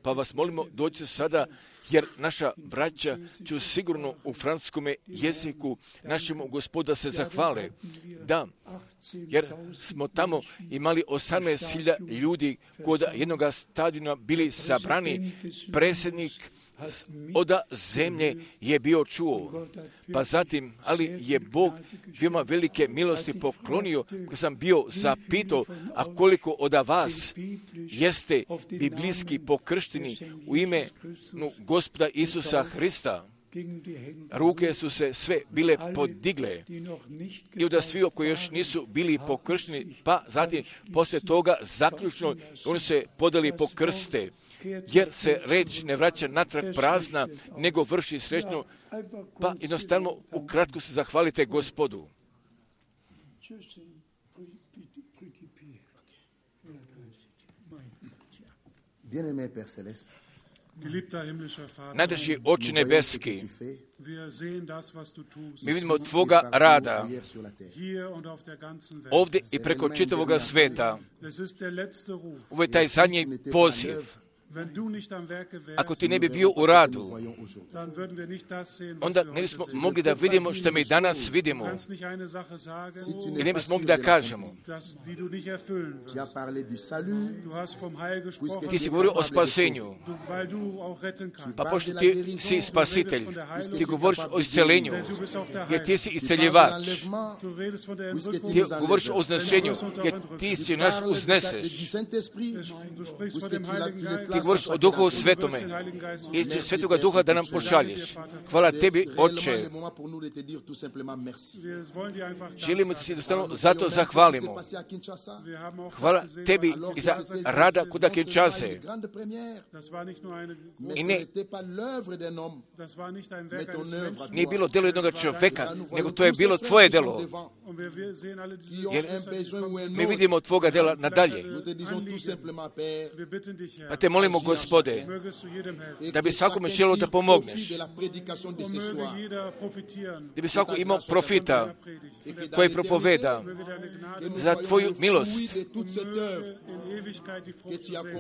pa vas molimo, dođite sada, jer naša braća će sigurno u francuskome jeziku našemu Gospodu se zahvale. Da, jer smo tamo imali 18.000 ljudi kod jednog stadiona bili sabrani. Predsjednik od zemlje je bio čuo. Pa zatim, ali je Bog veoma velike milosti poklonio, kad sam bio zapitao, a koliko od vas jeste biblijski pokršteni u ime Gospoda Isusa Hrista. Ruke su se sve bile podigle i od svi koji još nisu bili pokršteni, pa zatim poslije toga zaključno oni se podali po krste, jer se reč ne vraća natrag prazna, nego vrši srećno, pa jednostavno ukratko se zahvalite Gospodu. Bien-aimé Père Céleste, Najdraži Oče nebeski, mi vidimo Tvoga rada ovdje i preko čitavoga sveta. Ovo je taj zadnji poziv. Ako ti ne bi bio u radu, onda ne bismo mogli da vidimo što mi danas vidimo. I ne bismo mogli da kažemo. Ti si govorio o spasenju. Pa pošto ti si spasitelj, ti govoriš o isceljenju, jer ti si isceljivač. Ti govoriš o uznešenju, jer ti si naš uzneseš. Ti govoriš o Duhu Svetome i će Svetoga Duha da nam pošalješ. Hvala tebi, Oče. Želimo ti se jednostavno zato zahvalimo. Hvala tebi i za rada kuda Kinshase. I ne, nije bilo delo jednog čovjeka, nego to je bilo tvoje delo. Jer mi vidimo tvoga dela nadalje. Pa te molimo, Gospode, da bi svakome želio da pomogneš, da bi svako imao profita koji propoveda za tvoju milost,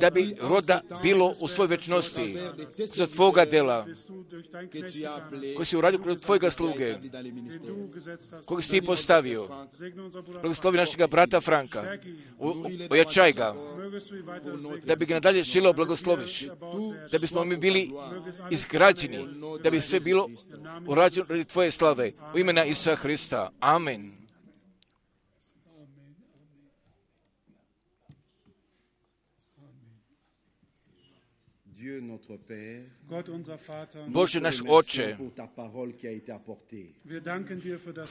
da bi roda bilo u svoj večnosti za tvoga dela koji si uradio kod tvojega sluge, kojeg si ti postavio. Blagoslovi našega brata Franka, ojačaj ga, da bi ga nadalje želio blagosloviš, da bismo mi bili izgrađeni, da bi sve bilo urađeno radi tvoje slave. U imena Isusa Hrista. Amen. Bože naš Oče,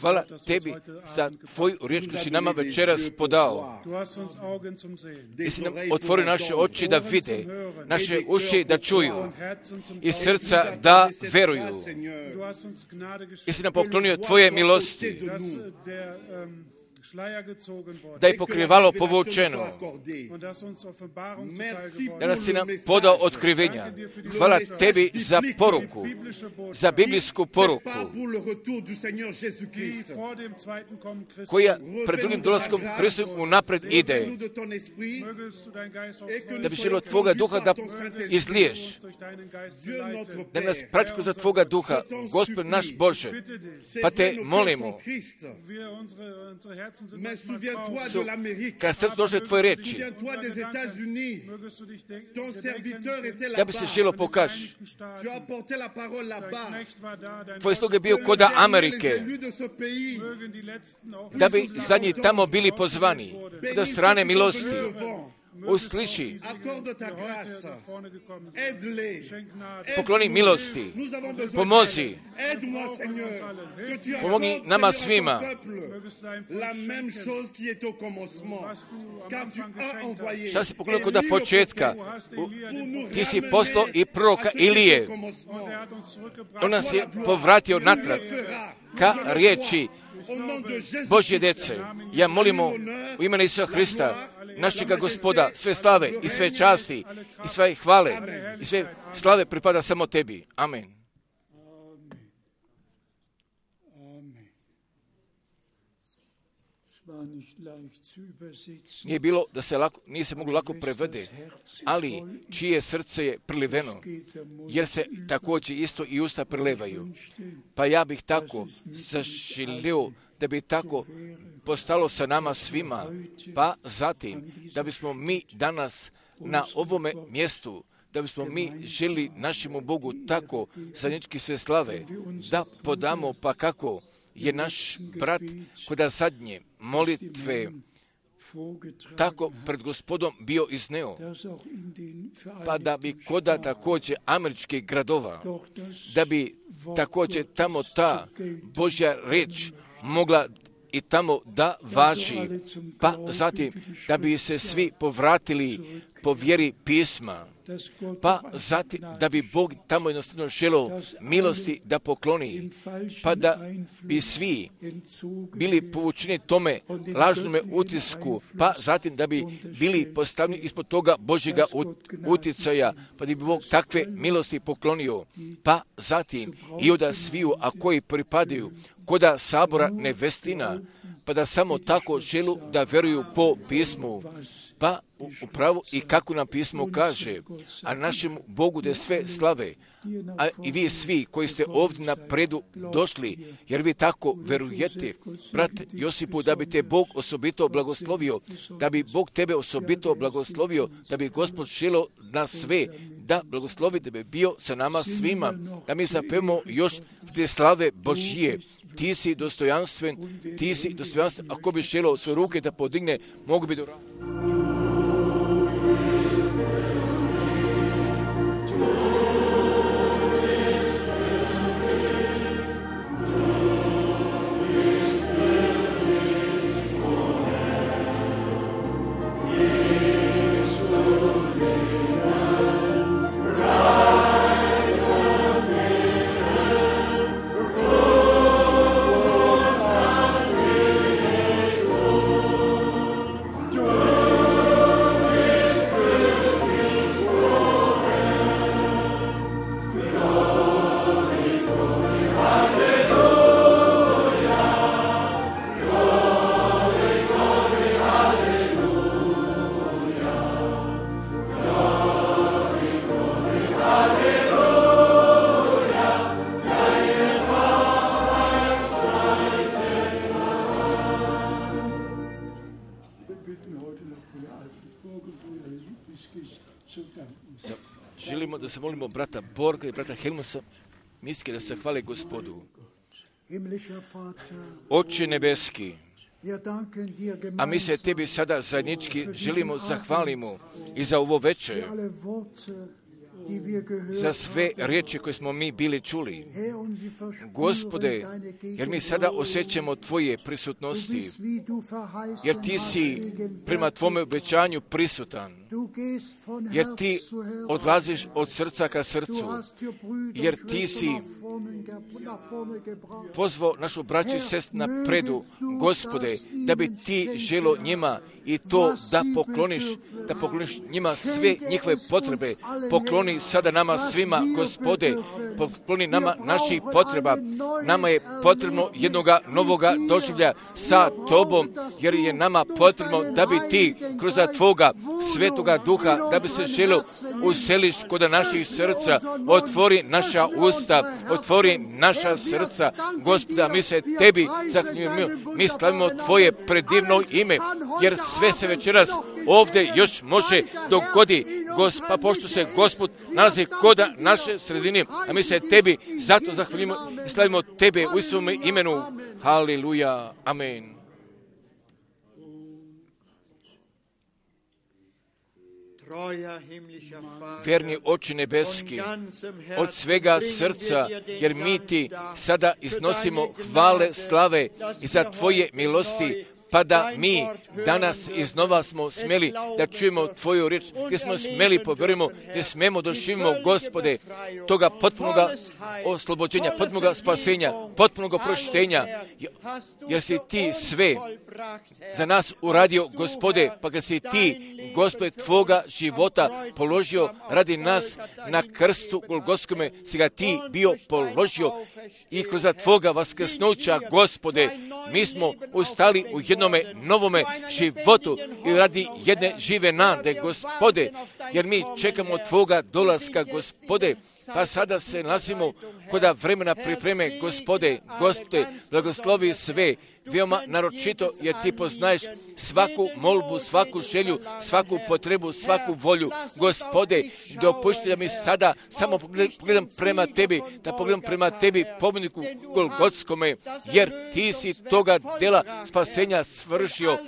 hvala tebi za tvoju riječ koju si nama večeras podao. I si nam otvorio naše oči da vide, naše uši da čuju i srca da veruju. I si nam poklonio tvoje milosti, da je pokrivalo povučeno, da nas si nam podao otkrivenja. Hvala tebi za poruku, za biblijsku poruku, koja pred drugim dolaskom Hristom unapred ide, da bi želio tvoga duha da izliješ, da nas prati kroz tvoga duha, Gospod naš Bože, pa te molimo, kad srce došle tvoje reči, da bi se želo pokaži. Tvoj slug je bio kod Amerike, da bi zadnji tamo bili pozvani, kod strane milosti. Usliši, pokloni milosti, pomozi, pomogi nama svima. Šta si poklonio kod početka? Ti si poslao i proroka Ilije. On nas je povratio natrag ka riječi Božje djece. Ja molimo u imenu Isusa Hrista, našega Gospoda, sve slave i sve časti i sve hvale i sve slave pripada samo tebi. Amen. Nije se moglo lako prevede, ali čije srce je preliveno, jer se također isto i usta prelevaju. Pa ja bih tako zaželio da bi tako postalo sa nama svima, pa zatim da bismo mi danas na ovome mjestu, da bismo mi želi našemu Bogu tako zajednički sve slave, da podamo pa kako je naš brat kod zadnje molitve tako pred Gospodom bio izneo, pa da bi koda također američkih gradova, da bi također tamo ta Božja riječ mogla i tamo da važi, pa zatim da bi se svi povratili po vjeri pisma, pa zatim da bi Bog tamo jednostavno želio milosti da pokloni, pa da bi svi bili povučeni tome lažnome utisku, pa zatim da bi bili postavljeni ispod toga Božjega utjecaja, pa da bi Bog takve milosti poklonio, pa zatim i od sviju, a koji pripadaju koda sabora nevestina, pa da samo tako želu da vjeruju po pismu, pa upravo i kako nam pismo kaže, a našemu Bogu da sve slave, a i vi svi koji ste ovdje na predu došli, jer vi tako verujete, brat Josipu, da bi te Bog osobito blagoslovio, da bi Bog tebe osobito blagoslovio, da bi Gospod želio nas sve da blagoslovi, da bi bio sa nama svima, da mi zapevamo još te slave Božije. Ti si dostojanstven, ako bi želio svoje ruke da podigne, mogu bi da... Želimo da se molimo brata Borga i brata Helmusa, miski da se hvale Gospodu. Oče nebeski, a mi se tebi sada zajednički želimo zahvalimo i za ovo večer, za sve riječi koje smo mi bili čuli. Gospode, jer mi sada osjećamo Tvoje prisutnosti, jer Ti si prema Tvome obećanju prisutan, jer Ti odlaziš od srca ka srcu, jer Ti si pozvao našu braću i sestru na predu, Gospode, da bi Ti želio njima i to da pokloniš njima sve njihove potrebe. Pokloni sada nama svima, Gospode, pokloni nama naših potreba. Nama je potrebno jednoga novoga doživlja sa Tobom, jer je nama potrebno da bi Ti kroz Tvoga Svetoga Duha, da bi se želio useliš kod naših srca, otvori naša usta, otvori naša srca, Gospoda, mi se Tebi zahvaljujemo, mi slavimo Tvoje predivno ime, jer sve se večeras ovdje još može dogodi, pa pošto se Gospod nalazi kod naše sredine, a mi se Tebi zato zahvaljujemo i slavimo Tebe u svome imenu. Haleluja, amen. Verni Oče nebeski, od svega srca, jer mi Ti sada iznosimo hvale, slave i za Tvoje milosti, pa da mi danas iznova smo smeli da čujemo Tvoju riječ, gdje smo smeli povjerujemo, gdje smemo doživimo, Gospode, toga potpunoga oslobođenja, potpunoga spasenja, potpunoga proštenja, jer si Ti sve za nas uradio, Gospode, pa ga si Ti, Gospode, Tvoga života položio radi nas na krstu Golgotskome, si ga Ti bio položio i kroz Tvoga vaskrsnuća, Gospode, mi smo ustali u jednome novome životu i radi jedne žive nade, Gospode, jer mi čekamo Tvoga dolaska, Gospode, pa sada se nalazimo kod vremena pripreme, Gospode, blagoslovi sve, veoma naročito, jer Ti poznaješ svaku molbu, svaku želju, svaku potrebu, svaku volju. Gospode, dopušti da mi sada samo pogledam prema Tebi, da pogledam prema Tebi, pobjedniku Golgotskome, jer Ti si toga dela spasenja svršio,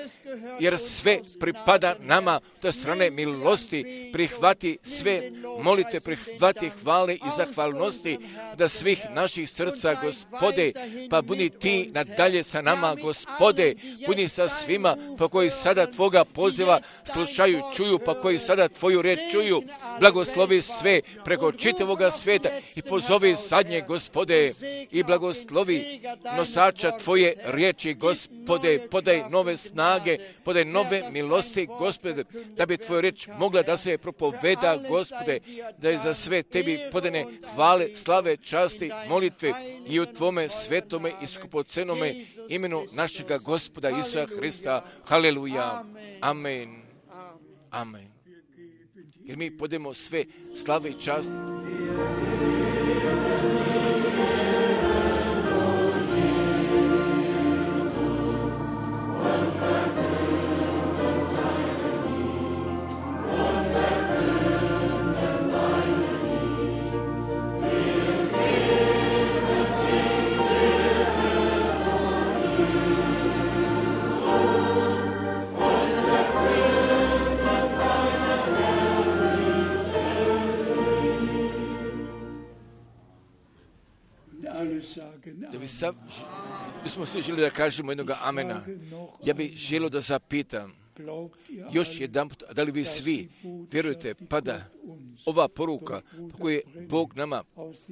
jer sve pripada nama do strane milosti. Prihvati sve molitve, prihvati hvale i zahvalnosti da svih naših srca, Gospode, pa budi Ti nadalje sa nama, Gospode, budi sa svima, pa koji sada Tvoga poziva slušaju, čuju, pa koji sada Tvoju riječ čuju. Blagoslovi sve preko čitavoga svijeta i pozovi zadnje, Gospode, i blagoslovi nosača Tvoje riječi, Gospode, podaj nove snage, podaj nove milosti, Gospode, da bi Tvoja riječ mogla da se propoveda, Gospode, da je za sve Tebi podane hvale, slave, časti, molitve i u Tvome svetome i skupocenome imenu našega Gospoda Isusa Hrista. Haleluja. Amen. Amen. Jer mi podemo sve slave i čast. Bismo svi želi da kažemo jednoga amena. Ja bih želio da zapitam još jedan put, da li vi svi vjerujete, pa da ova poruka koju je Bog nama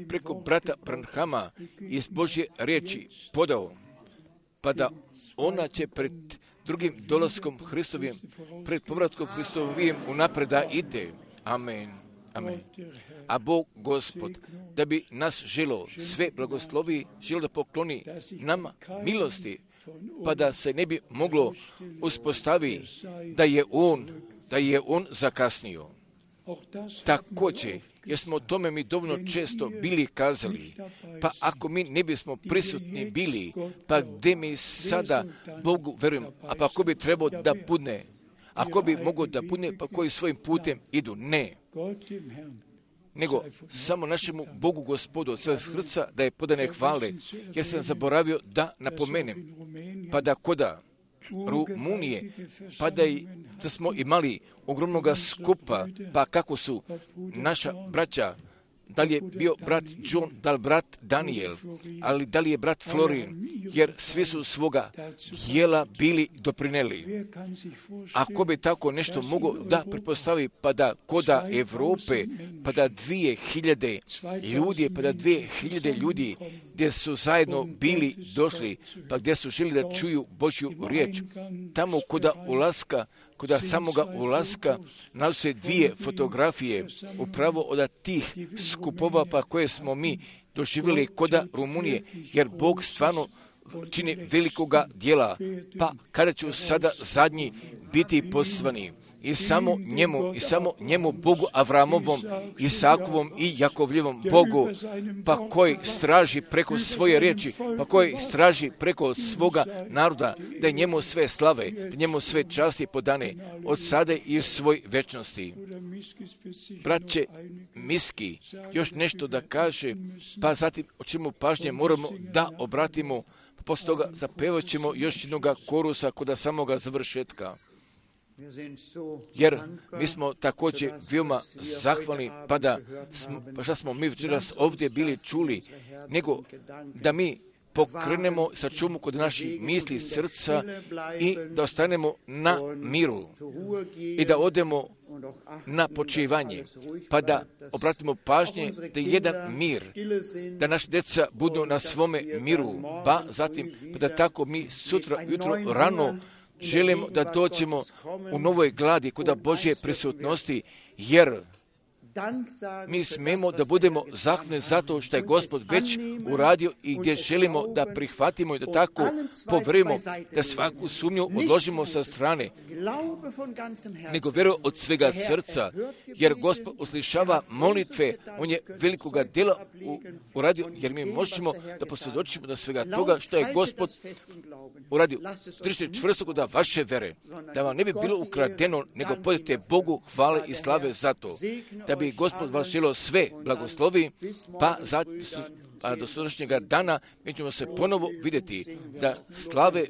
preko brata Branhama iz Božje riječi podao, pa da ona će pred drugim dolaskom Hristovim, pred povratkom Hristovim unapred da ide. Amen. Amen. A Bog, Gospod, da bi nas želo sve blagoslovi, želo da pokloni nama milosti, pa da se ne bi moglo uspostavi da je On zakasnio. Također, jer smo o tome mi dovoljno često bili kazali, pa ako mi ne bismo prisutni bili, pa gdje mi sada Bogu verujemo, a pa ako bi trebao da budne, ako bi mogao da budne, pa koji svojim putem idu, ne. Nego samo našemu Bogu Gospodu sa srca da je podane hvale, jer sam zaboravio da napomenem, pa da koda Rumunije, pa da smo imali ogromnoga skupa, pa kako su naša braća, da li je bio brat John, da li brat Daniel, ali da li je brat Florin, jer svi su svoga dijela bili doprineli. Ako bi tako nešto mogao da pretpostavi, pa da koda Evrope, pa da 2000 ljudi, pa da 2000 ljudi gdje su zajedno bili došli, pa gdje su želi da čuju Božju riječ, tamo koda samoga ulaska nalaze 2 fotografije upravo od tih skupova pa koje smo mi doživjeli koda Rumunije, jer Bog stvarno čini velikoga djela, pa kada ću sada zadnji biti poslani i samo njemu Bogu Avramovom, Isakovom i Jakovljevom Bogu, pa koji straži preko svoje riječi, pa koji straži preko svoga naroda, da njemu sve slave, da njemu sve časti podane od sada i u svoj večnosti. Braće Miski, još nešto da kaže, pa zatim o čemu pažnje moramo da obratimo, pa poslije toga zapevat ćemo još jednoga korusa kod samoga završetka. Jer mi smo također veoma zahvalni, pa što smo mi večeras ovdje bili čuli, nego da mi pokrenemo sačumu kod naših misli, srca i da ostanemo na miru i da odemo na počivanje, pa da obratimo pažnje da je jedan mir, da naši djeca budu na svome miru, pa zatim pa da tako mi sutra jutro rano želimo da dođemo u novoj gladi kod Božje prisutnosti, jer mi smemo da budemo zahvalni zato što je Gospod već uradio i gdje želimo da prihvatimo i da tako poverujemo, da svaku sumnju odložimo sa strane, nego vjeruju od svega srca, jer Gospod uslišava molitve, On je velikoga djela uradio, jer mi možemo da posvjedočimo do svega toga što je Gospod uradio. Držite čvrsto da vaše vere, da vam ne bi bilo ukradeno, nego podite Bogu hvale i slave za to, da bi Gospod vas želio sve blagoslovi, pa do sutrašnjega dana mi ćemo se ponovo vidjeti da slave